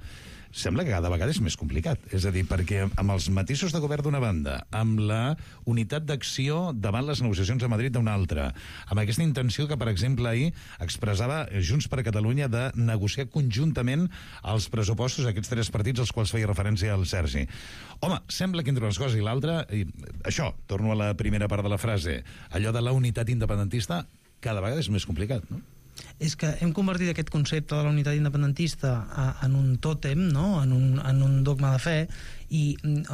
sembla que cada vegada és més complicat. És a dir, perquè amb els matisos de govern d'una banda, amb la unitat d'acció davant les negociacions a Madrid d'una altra, amb aquesta intenció que, per exemple, ahir expressava Junts per Catalunya de negociar conjuntament els pressupostos d'aquests tres partits als quals feia referència el Sergi. Home, sembla que entre unes coses i l'altra, i això, torno a la primera part de la frase, allò de la unitat independentista cada vegada és més complicat, no? És que hem convertit aquest concepte de la unitat independentista a, en un tòtem, no?, en, un, en un dogma de fe, i,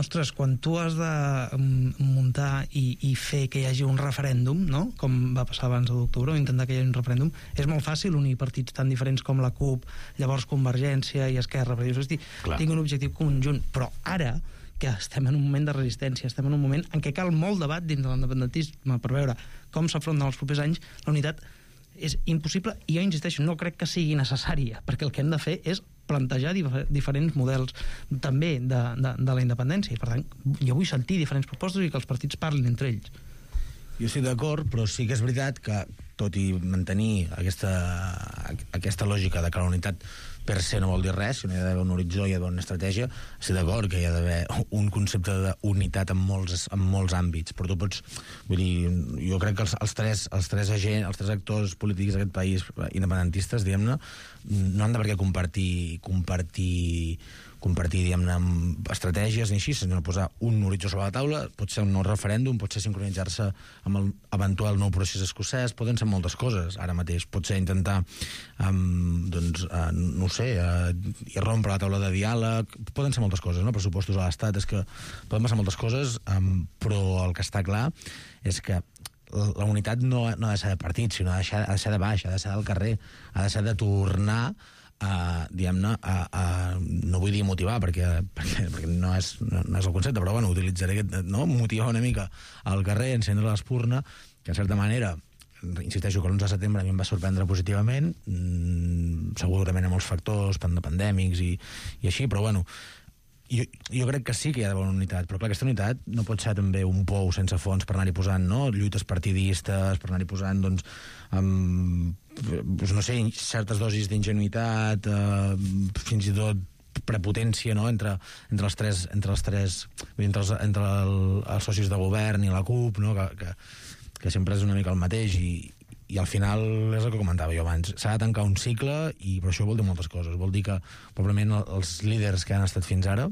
ostres, quan tu has de muntar i, i fer que hi hagi un referèndum, no?, com va passar abans d'octubre, o intentar que hi hagi un referèndum, és molt fàcil unir partits tan diferents com la CUP, llavors Convergència i Esquerra, perquè dius, hosti, tinc un objectiu conjunt, però ara que estem en un moment de resistència, estem en un moment en què cal molt debat dins de l'independentisme per veure com s'afronten els propers anys, la unitat és impossible, i jo insisteixo, no crec que sigui necessària, perquè el que hem de fer és plantejar dif diferents models també de, de, de la independència, i per tant jo vull sentir diferents propostes i que els partits parlin entre ells. Jo estic d'acord, però sí que és veritat que, tot i mantenir aquesta, aquesta lògica de que la unitat per se no vol dir res, si no hi ha d'haver un horitzó, hi ha d'haver una estratègia, estic d'acord que hi ha d'haver un concepte d'unitat en molts, en molts àmbits, però tu pots... Vull dir, jo crec que els, els, tres, els, tres, agents, els tres actors polítics d'aquest país independentistes, diguem-ne, no han de per què compartir, compartir compartir, diguem-ne, estratègies ni així, sinó posar un horitzó sobre la taula, pot ser un nou referèndum, pot ser sincronitzar-se amb el eventual nou procés escocès, poden ser moltes coses ara mateix, pot ser intentar um, doncs, uh, no ho sé, uh, irrompre la taula de diàleg, poden ser moltes coses, no? Pressupostos a l'Estat, és que poden passar moltes coses, um, però el que està clar és que la unitat no, no ha de ser de partit, sinó ha de ser, ha de ser de baix, ha de ser del carrer, ha de ser de tornar a, diguem-ne, a, a, no vull dir motivar, perquè, perquè, perquè no, és, no, no és el concepte, però bueno, utilitzaré aquest, no? Motivar una mica al carrer, encendre l'espurna, que en certa manera, insisteixo que l'onze de setembre a mi em va sorprendre positivament, mmm, segurament amb molts factors pandèmics i, i així, però bueno, Jo, jo crec que sí que hi ha d'haver una unitat, però clar, aquesta unitat no pot ser també un pou sense fons per anar-hi posant, no?, lluites partidistes, per anar-hi posant, doncs, amb, doncs, no sé, certes dosis d'ingenuïtat, eh, fins i tot prepotència, no?, entre, entre els tres, entre els tres, entre els, entre el, els socis de govern i la CUP, no?, que, que, que sempre és una mica el mateix, i, i al final és el que comentava jo abans, s'ha de tancar un cicle, i per això vol dir moltes coses, vol dir que probablement els líders que han estat fins ara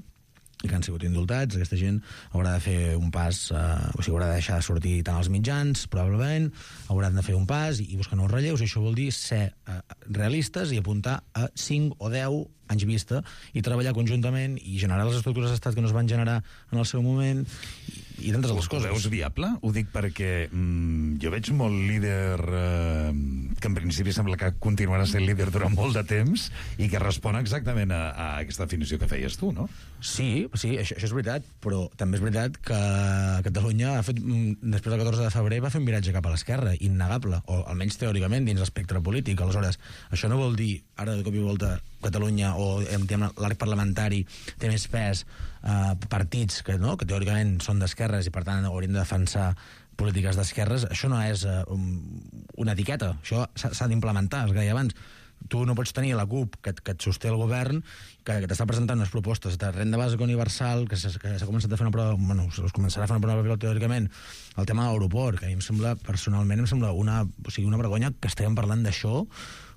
i que han sigut indultats, aquesta gent haurà de fer un pas, eh, o sigui, haurà de deixar de sortir tant als mitjans, probablement, hauran de fer un pas i, i buscar nous relleus, i això vol dir ser eh, realistes i apuntar a cinc o deu anys vista i treballar conjuntament i generar les estructures d'estat que no es van generar en el seu moment i, i tantes altres coses. Ho veus viable? Ho dic perquè mm, jo veig molt líder eh, que en principi sembla que continuarà sent líder durant molt de temps i que respon exactament a, a aquesta definició que feies tu, no? Sí, sí, això, això és veritat, però també és veritat que Catalunya ha fet, després del catorze de febrer va fer un viratge cap a l'esquerra, innegable, o almenys teòricament dins l'espectre polític. Aleshores, això no vol dir, ara de cop i volta, Catalunya o l'arc parlamentari té més pes, eh, partits que, no, que teòricament són d'esquerres i per tant haurien de defensar polítiques d'esquerres. Això no és eh, un, una etiqueta, això s'ha d'implementar, es deia abans. Tu no pots tenir la CUP que, que et sosté el govern, que, que t'està presentant unes propostes de renda bàsica universal, que s'ha començat a fer una prova, bueno, es començarà a fer una prova pilot teòricament, el tema de l'aeroport, que a mi em sembla, personalment, em sembla una, o sigui, una vergonya que estiguem parlant d'això,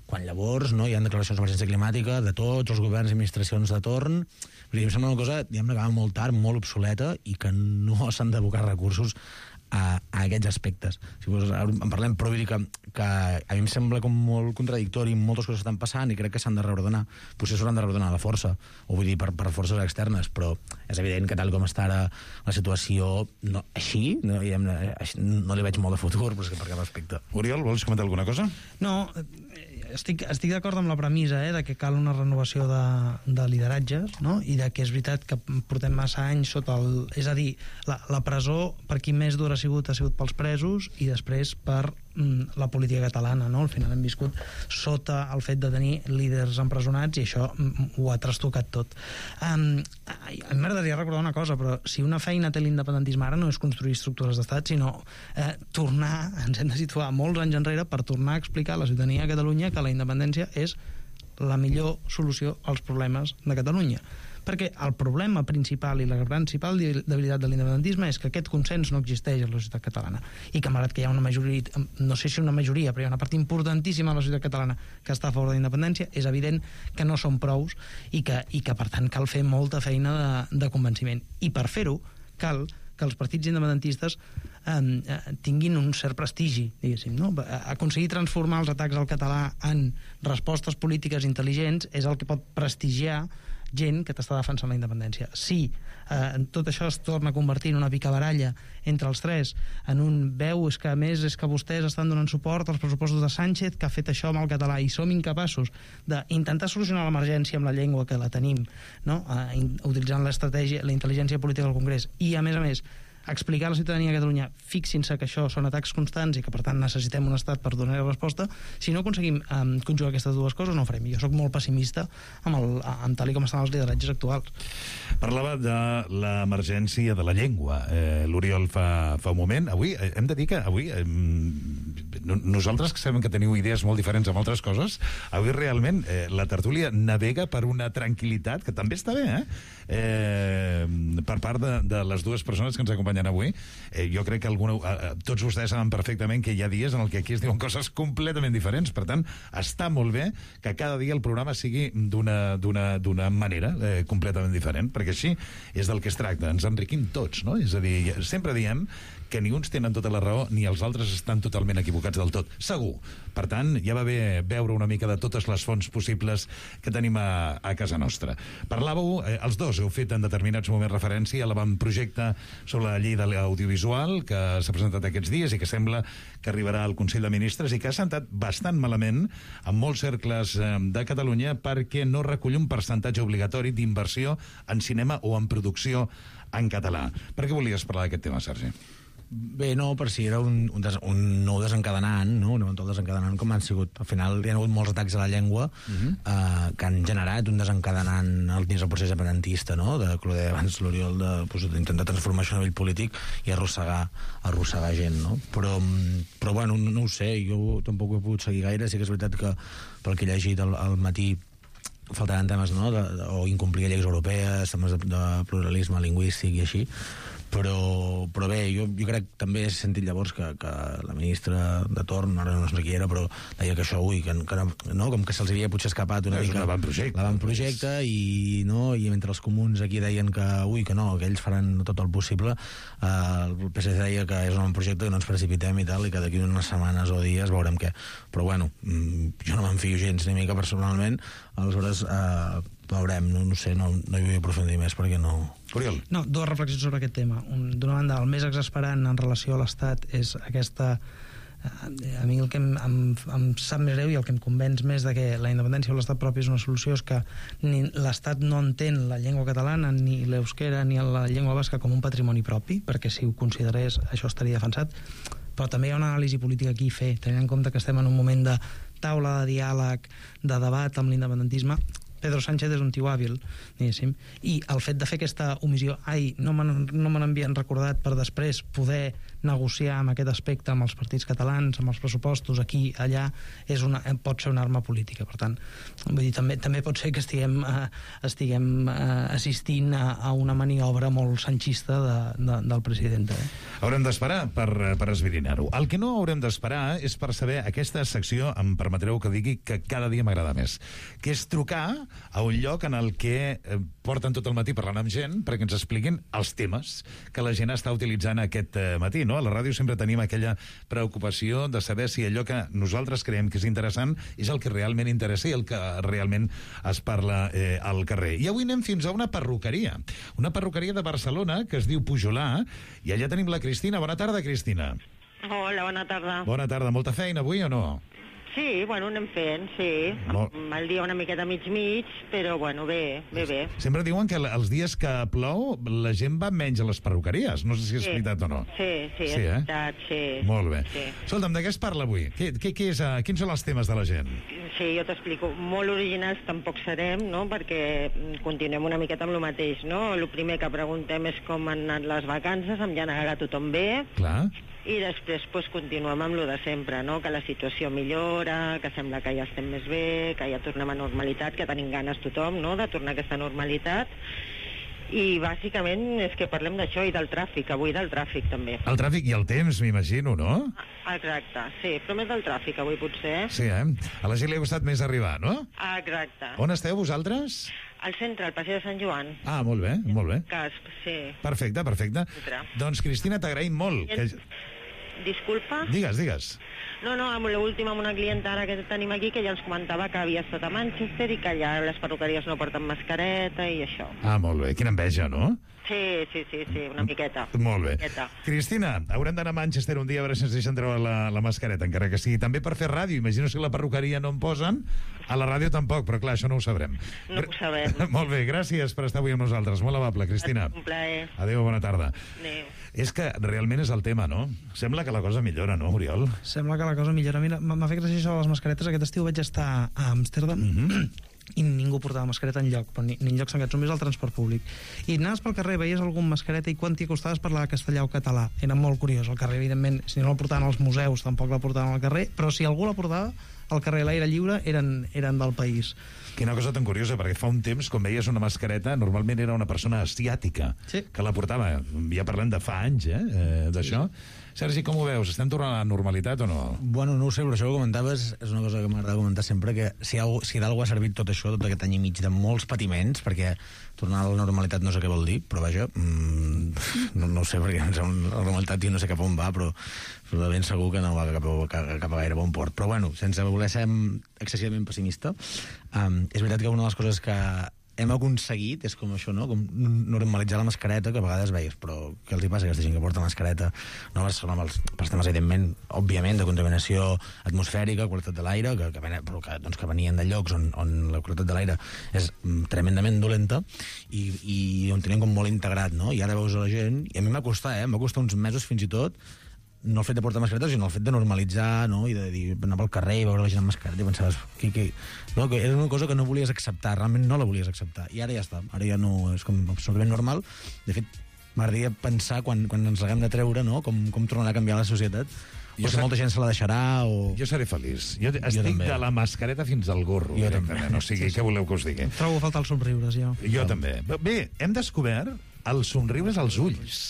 quan llavors no, hi ha declaracions d'emergència climàtica de tots els governs i administracions de torn. Vull dir, em sembla una cosa, diguem-ne, que va molt tard, molt obsoleta, i que no s'han d'abocar recursos a, a aquests aspectes. Si vols, en parlem, però vull dir que, que a mi em sembla com molt contradictori, moltes coses estan passant i crec que s'han de reordenar. Potser s'hauran de reordenar la força, o vull dir, per, per forces externes, però és evident que tal com està ara la situació, no, així, no, així, no li veig molt de futur, però és que per cap aspecte. Oriol, vols comentar alguna cosa? No, estic, estic d'acord amb la premissa eh, de que cal una renovació de, de lideratges, no? I de que és veritat que portem massa anys sota el... És a dir, la, la presó, per qui més dur ha sigut, ha sigut pels presos i després per mm, la política catalana, no? Al final hem viscut sota el fet de tenir líders empresonats i això mm, ho ha trastocat tot. Um, a mi m'agradaria recordar una cosa, però si una feina té l'independentisme ara no és construir estructures d'estat, sinó eh, tornar, ens hem de situar molts anys enrere per tornar a explicar a la ciutadania de Catalunya que la independència és la millor solució als problemes de Catalunya. Perquè el problema principal i la principal debilitat de l'independentisme és que aquest consens no existeix a la societat catalana i que malgrat que hi ha una majoria, no sé si una majoria, però hi ha una part importantíssima de la societat catalana que està a favor de la independència, és evident que no són prous i que, i que per tant cal fer molta feina de, de convenciment. I per fer-ho cal que els partits independentistes eh, tinguin un cert prestigi, diguéssim, no? Aconseguir transformar els atacs al català en respostes polítiques intel·ligents és el que pot prestigiar gent que t'està defensant la independència. Si eh, tot això es torna a convertir en una picabaralla entre els tres, en un veu és que a més és que vostès estan donant suport als pressupostos de Sánchez que ha fet això amb el català i som incapaços d'intentar solucionar l'emergència amb la llengua que la tenim, no? eh, utilitzant l'estratègia, la intel·ligència política del Congrés i a més a més explicar a la ciutadania de Catalunya, fixin-se que això són atacs constants i que per tant necessitem un estat per donar resposta, si no aconseguim um, conjugar aquestes dues coses no ho farem. Jo sóc molt pessimista amb, el, amb tal i com estan els lideratges actuals. Parlava de l'emergència de la llengua, eh, l'Oriol fa, fa un moment. Avui eh, hem de dir que avui eh, nosaltres que sabem que teniu idees molt diferents amb altres coses, avui realment eh, la tertúlia navega per una tranquil·litat que també està bé, eh? eh per part de, de les dues persones que ens acompanyen acompanyant avui. Eh, jo crec que alguna, eh, tots vostès saben perfectament que hi ha dies en el que aquí es diuen coses completament diferents. Per tant, està molt bé que cada dia el programa sigui d'una d'una d'una manera eh, completament diferent, perquè així és del que es tracta. Ens enriquim tots, no? És a dir, sempre diem que ni uns tenen tota la raó ni els altres estan totalment equivocats del tot. Segur. Per tant, ja va bé veure una mica de totes les fonts possibles que tenim a, a casa nostra. Parlàveu, eh, els dos heu fet en determinats moments referència a l'avantprojecte sobre la llei de l'audiovisual que s'ha presentat aquests dies i que sembla que arribarà al Consell de Ministres i que ha sentat bastant malament en molts cercles eh, de Catalunya perquè no recull un percentatge obligatori d'inversió en cinema o en producció en català. Per què volies parlar d'aquest tema, Sergi? Bé, no, per si era un, un, des, un nou desencadenant, no? un eventual desencadenant, com han sigut. Al final hi ha hagut molts atacs a la llengua uh-huh. eh, que han generat un desencadenant dins el procés independentista, no? De, que ho deia abans l'Oriol, d'intentar pues, transformar això a nivell polític i arrossegar, arrossegar gent, no? Però, però bueno, no, no ho sé, jo tampoc ho he pogut seguir gaire. Sí que és veritat que pel que he llegit al, al matí faltaran temes, no? de, de, o incomplir lleis europees, temes de, de pluralisme lingüístic i així. Però, però bé, jo, jo crec que també he sentit llavors que, que la ministra de torn, ara no sé qui era, però deia que això, ui, que, que no, no, com que se'ls havia potser escapat una és mica un avantprojecte. l'avantprojecte i, no, i mentre els comuns aquí deien que, ui, que no, que ells faran tot el possible, eh, el P S C deia que és un avantprojecte, que no ens precipitem i tal, i que d'aquí unes setmanes o dies veurem què. Però bueno, jo no m'enfio gens ni mica personalment, aleshores eh, veurem, no, no sé, no, no hi vull aprofundir més perquè no... Oriol. No, dues reflexions sobre aquest tema. D'una banda, el més exasperant en relació a l'Estat és aquesta... A mi el que em, em, em sap més greu i el que em convenç més de que la independència o l'Estat propi és una solució és que ni l'Estat no entén la llengua catalana, ni l'euskera, ni la llengua basca com un patrimoni propi, perquè si ho considerés això estaria defensat, però també hi ha una anàlisi política aquí a fer, tenint en compte que estem en un moment de taula de diàleg, de debat amb l'independentisme. Pedro Sánchez és un tio hàbil, diguéssim, i el fet de fer aquesta omissió, ai, no me no me n'havien recordat per després poder negociar amb aquest aspecte amb els partits catalans, amb els pressupostos, aquí, allà, és una, pot ser una arma política. Per tant, vull dir, també, també pot ser que estiguem, eh, estiguem eh, assistint a, a una maniobra molt sanchista de, de, del president. Eh? Haurem d'esperar per, per esbrinar-ho. El que no haurem d'esperar és per saber aquesta secció, em permetreu que digui que cada dia m'agrada més, que és trucar a un lloc en el que eh, porten tot el matí parlant amb gent perquè ens expliquin els temes que la gent està utilitzant aquest eh, matí, no? A la ràdio sempre tenim aquella preocupació de saber si allò que nosaltres creiem que és interessant és el que realment interessa i el que realment es parla eh, al carrer. I avui anem fins a una perruqueria, una perruqueria de Barcelona que es diu Pujolà, i allà tenim la Cristina. Bona tarda, Cristina. Hola, bona tarda. Bona tarda. Molta feina avui o no? Sí, bueno, anem fent, sí. Molt... El dia una miqueta mig-mig, però bueno, bé, bé, bé. Sempre diuen que els dies que plou la gent va menys a les perruqueries. No sé si és sí. veritat o no. Sí, sí, sí és eh? veritat, sí. Molt bé. Sí. Escolta'm, de què es parla avui? Què, què, què és, uh, quins són els temes de la gent? Sí, jo t'explico. Molt originals tampoc serem, no?, perquè continuem una miqueta amb el mateix, no? El primer que preguntem és com han anat les vacances, amb ja anar tothom bé. Clar. I després pues, continuem amb lo de sempre, no? Que la situació millora, que sembla que ja estem més bé, que ja tornem a normalitat, que tenim ganes tothom, no?, de tornar a aquesta normalitat. I bàsicament és que parlem d'això i del tràfic, avui del tràfic també. El tràfic i el temps, m'imagino, no? Exacte, sí, però més del tràfic avui potser. Sí, eh? A la gent li ha costat més arribar, no? Exacte. On esteu vosaltres? Al centre, al passeig de Sant Joan. Ah, molt bé, molt bé. Casp, sí. Perfecte, perfecte. Entra. Doncs, Cristina, t'agraïm molt. Que... Disculpa? Digues, digues. No, no, amb l'última, amb una clienta ara que tenim aquí, que ja ens comentava que havia estat a Manchester i que allà les perruqueries no porten mascareta i això. Ah, molt bé. Quina enveja, no? Sí, sí, sí, sí, una miqueta. Molt bé. Miqueta. Cristina, haurem d'anar a Manchester un dia a veure si ens deixen treure la, la mascareta, encara que sigui també per fer ràdio. Imagino si la perruqueria no en posen, a la ràdio tampoc, però clar, això no ho sabrem. No ho sabem. Molt bé, gràcies per estar avui amb nosaltres. Molt amable, Cristina. Un plaer. Adéu, bona tarda. Adéu. És que realment és el tema, no? Sembla que la cosa millora, no, Oriol? Sembla que la cosa millora. Mira, m'ha fet gràcia això de les mascaretes. Aquest estiu vaig estar a Amsterdam mm-hmm. i ningú portava mascareta enlloc, però ni, ni enlloc tancats, només al transport públic. I anaves pel carrer, veies algun mascareta i quan t'hi acostaves parlava castellà o català. Era molt curiós. Al carrer, evidentment, si no la portaven als museus, tampoc la portaven al carrer, però si algú la portava, al carrer a l'aire lliure eren, eren del país. Quina cosa tan curiosa, perquè fa un temps, com veies una mascareta, normalment era una persona asiàtica sí. que la portava. Ja parlem de fa anys, eh, eh d'això. Sí. Sergi, com ho veus? Estem tornant a la normalitat o no? Bueno, no ho sé, però això que comentaves és una cosa que m'agrada comentar sempre, que si, algú, si d'algú ha servit tot això, tot aquest any i mig de molts patiments, perquè tornar a la normalitat no sé què vol dir, però vaja, mmm, no, no ho sé, perquè la normalitat jo no sé cap on va, però, però de ben segur que no va cap a, cap, cap a gaire bon port. Però bueno, sense voler ser excessivament pessimista, um, és veritat que una de les coses que hem aconseguit, és com això, no? Com normalitzar la mascareta, que a vegades veies, però què els hi passa a aquesta gent que porta mascareta? No, amb els, pels temes, evidentment, òbviament, de contaminació atmosfèrica, qualitat de l'aire, que, que, però que, doncs, que venien de llocs on, on la qualitat de l'aire és tremendament dolenta i, i on tenim com molt integrat, no? I ara veus a la gent, i a mi m'ha costat, eh? M'ha costat uns mesos fins i tot, no el fet de portar mascareta, sinó el fet de normalitzar, no? I de dir, anar pel carrer i veure la gent amb mascareta i pensaves que, que, no, que era una cosa que no volies acceptar, realment no la volies acceptar. I ara ja està, ara ja no, és com absolutament normal. De fet, m'agradaria pensar quan, quan ens l'haguem de treure, no? Com, com tornarà a canviar la societat. O si molta gent se la deixarà o... Jo seré feliç. Jo estic jo de la mascareta fins al gorro. Jo també. O sigui, què voleu que us digui? Trobo a faltar els somriures, jo. Jo no. també. Bé, hem descobert els somriures als ulls.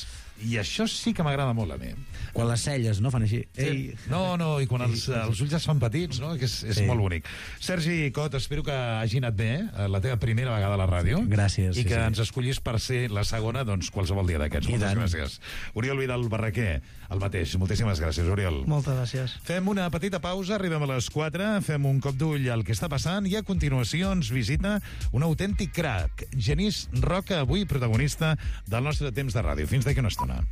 I això sí que m'agrada molt a mi. Quan les celles, no?, fan així. Sí. No, no, i quan els, els ulls es fan petits, no?, que és, és sí. molt bonic. Sergi Cot, espero que hagi anat bé la teva primera vegada a la ràdio. Gràcies. I que sí, ens sí. escollis per ser la segona, doncs, qualsevol dia d'aquests. Moltes tant. gràcies. Oriol Vidal Barraquer, el mateix. Moltíssimes gràcies, Oriol. Moltes gràcies. Fem una petita pausa, arribem a les quatre, fem un cop d'ull al que està passant i a continuació ens visita un autèntic crac, Genís Roca, avui protagonista del nostre temps de ràdio. Fins d'aquí una estona.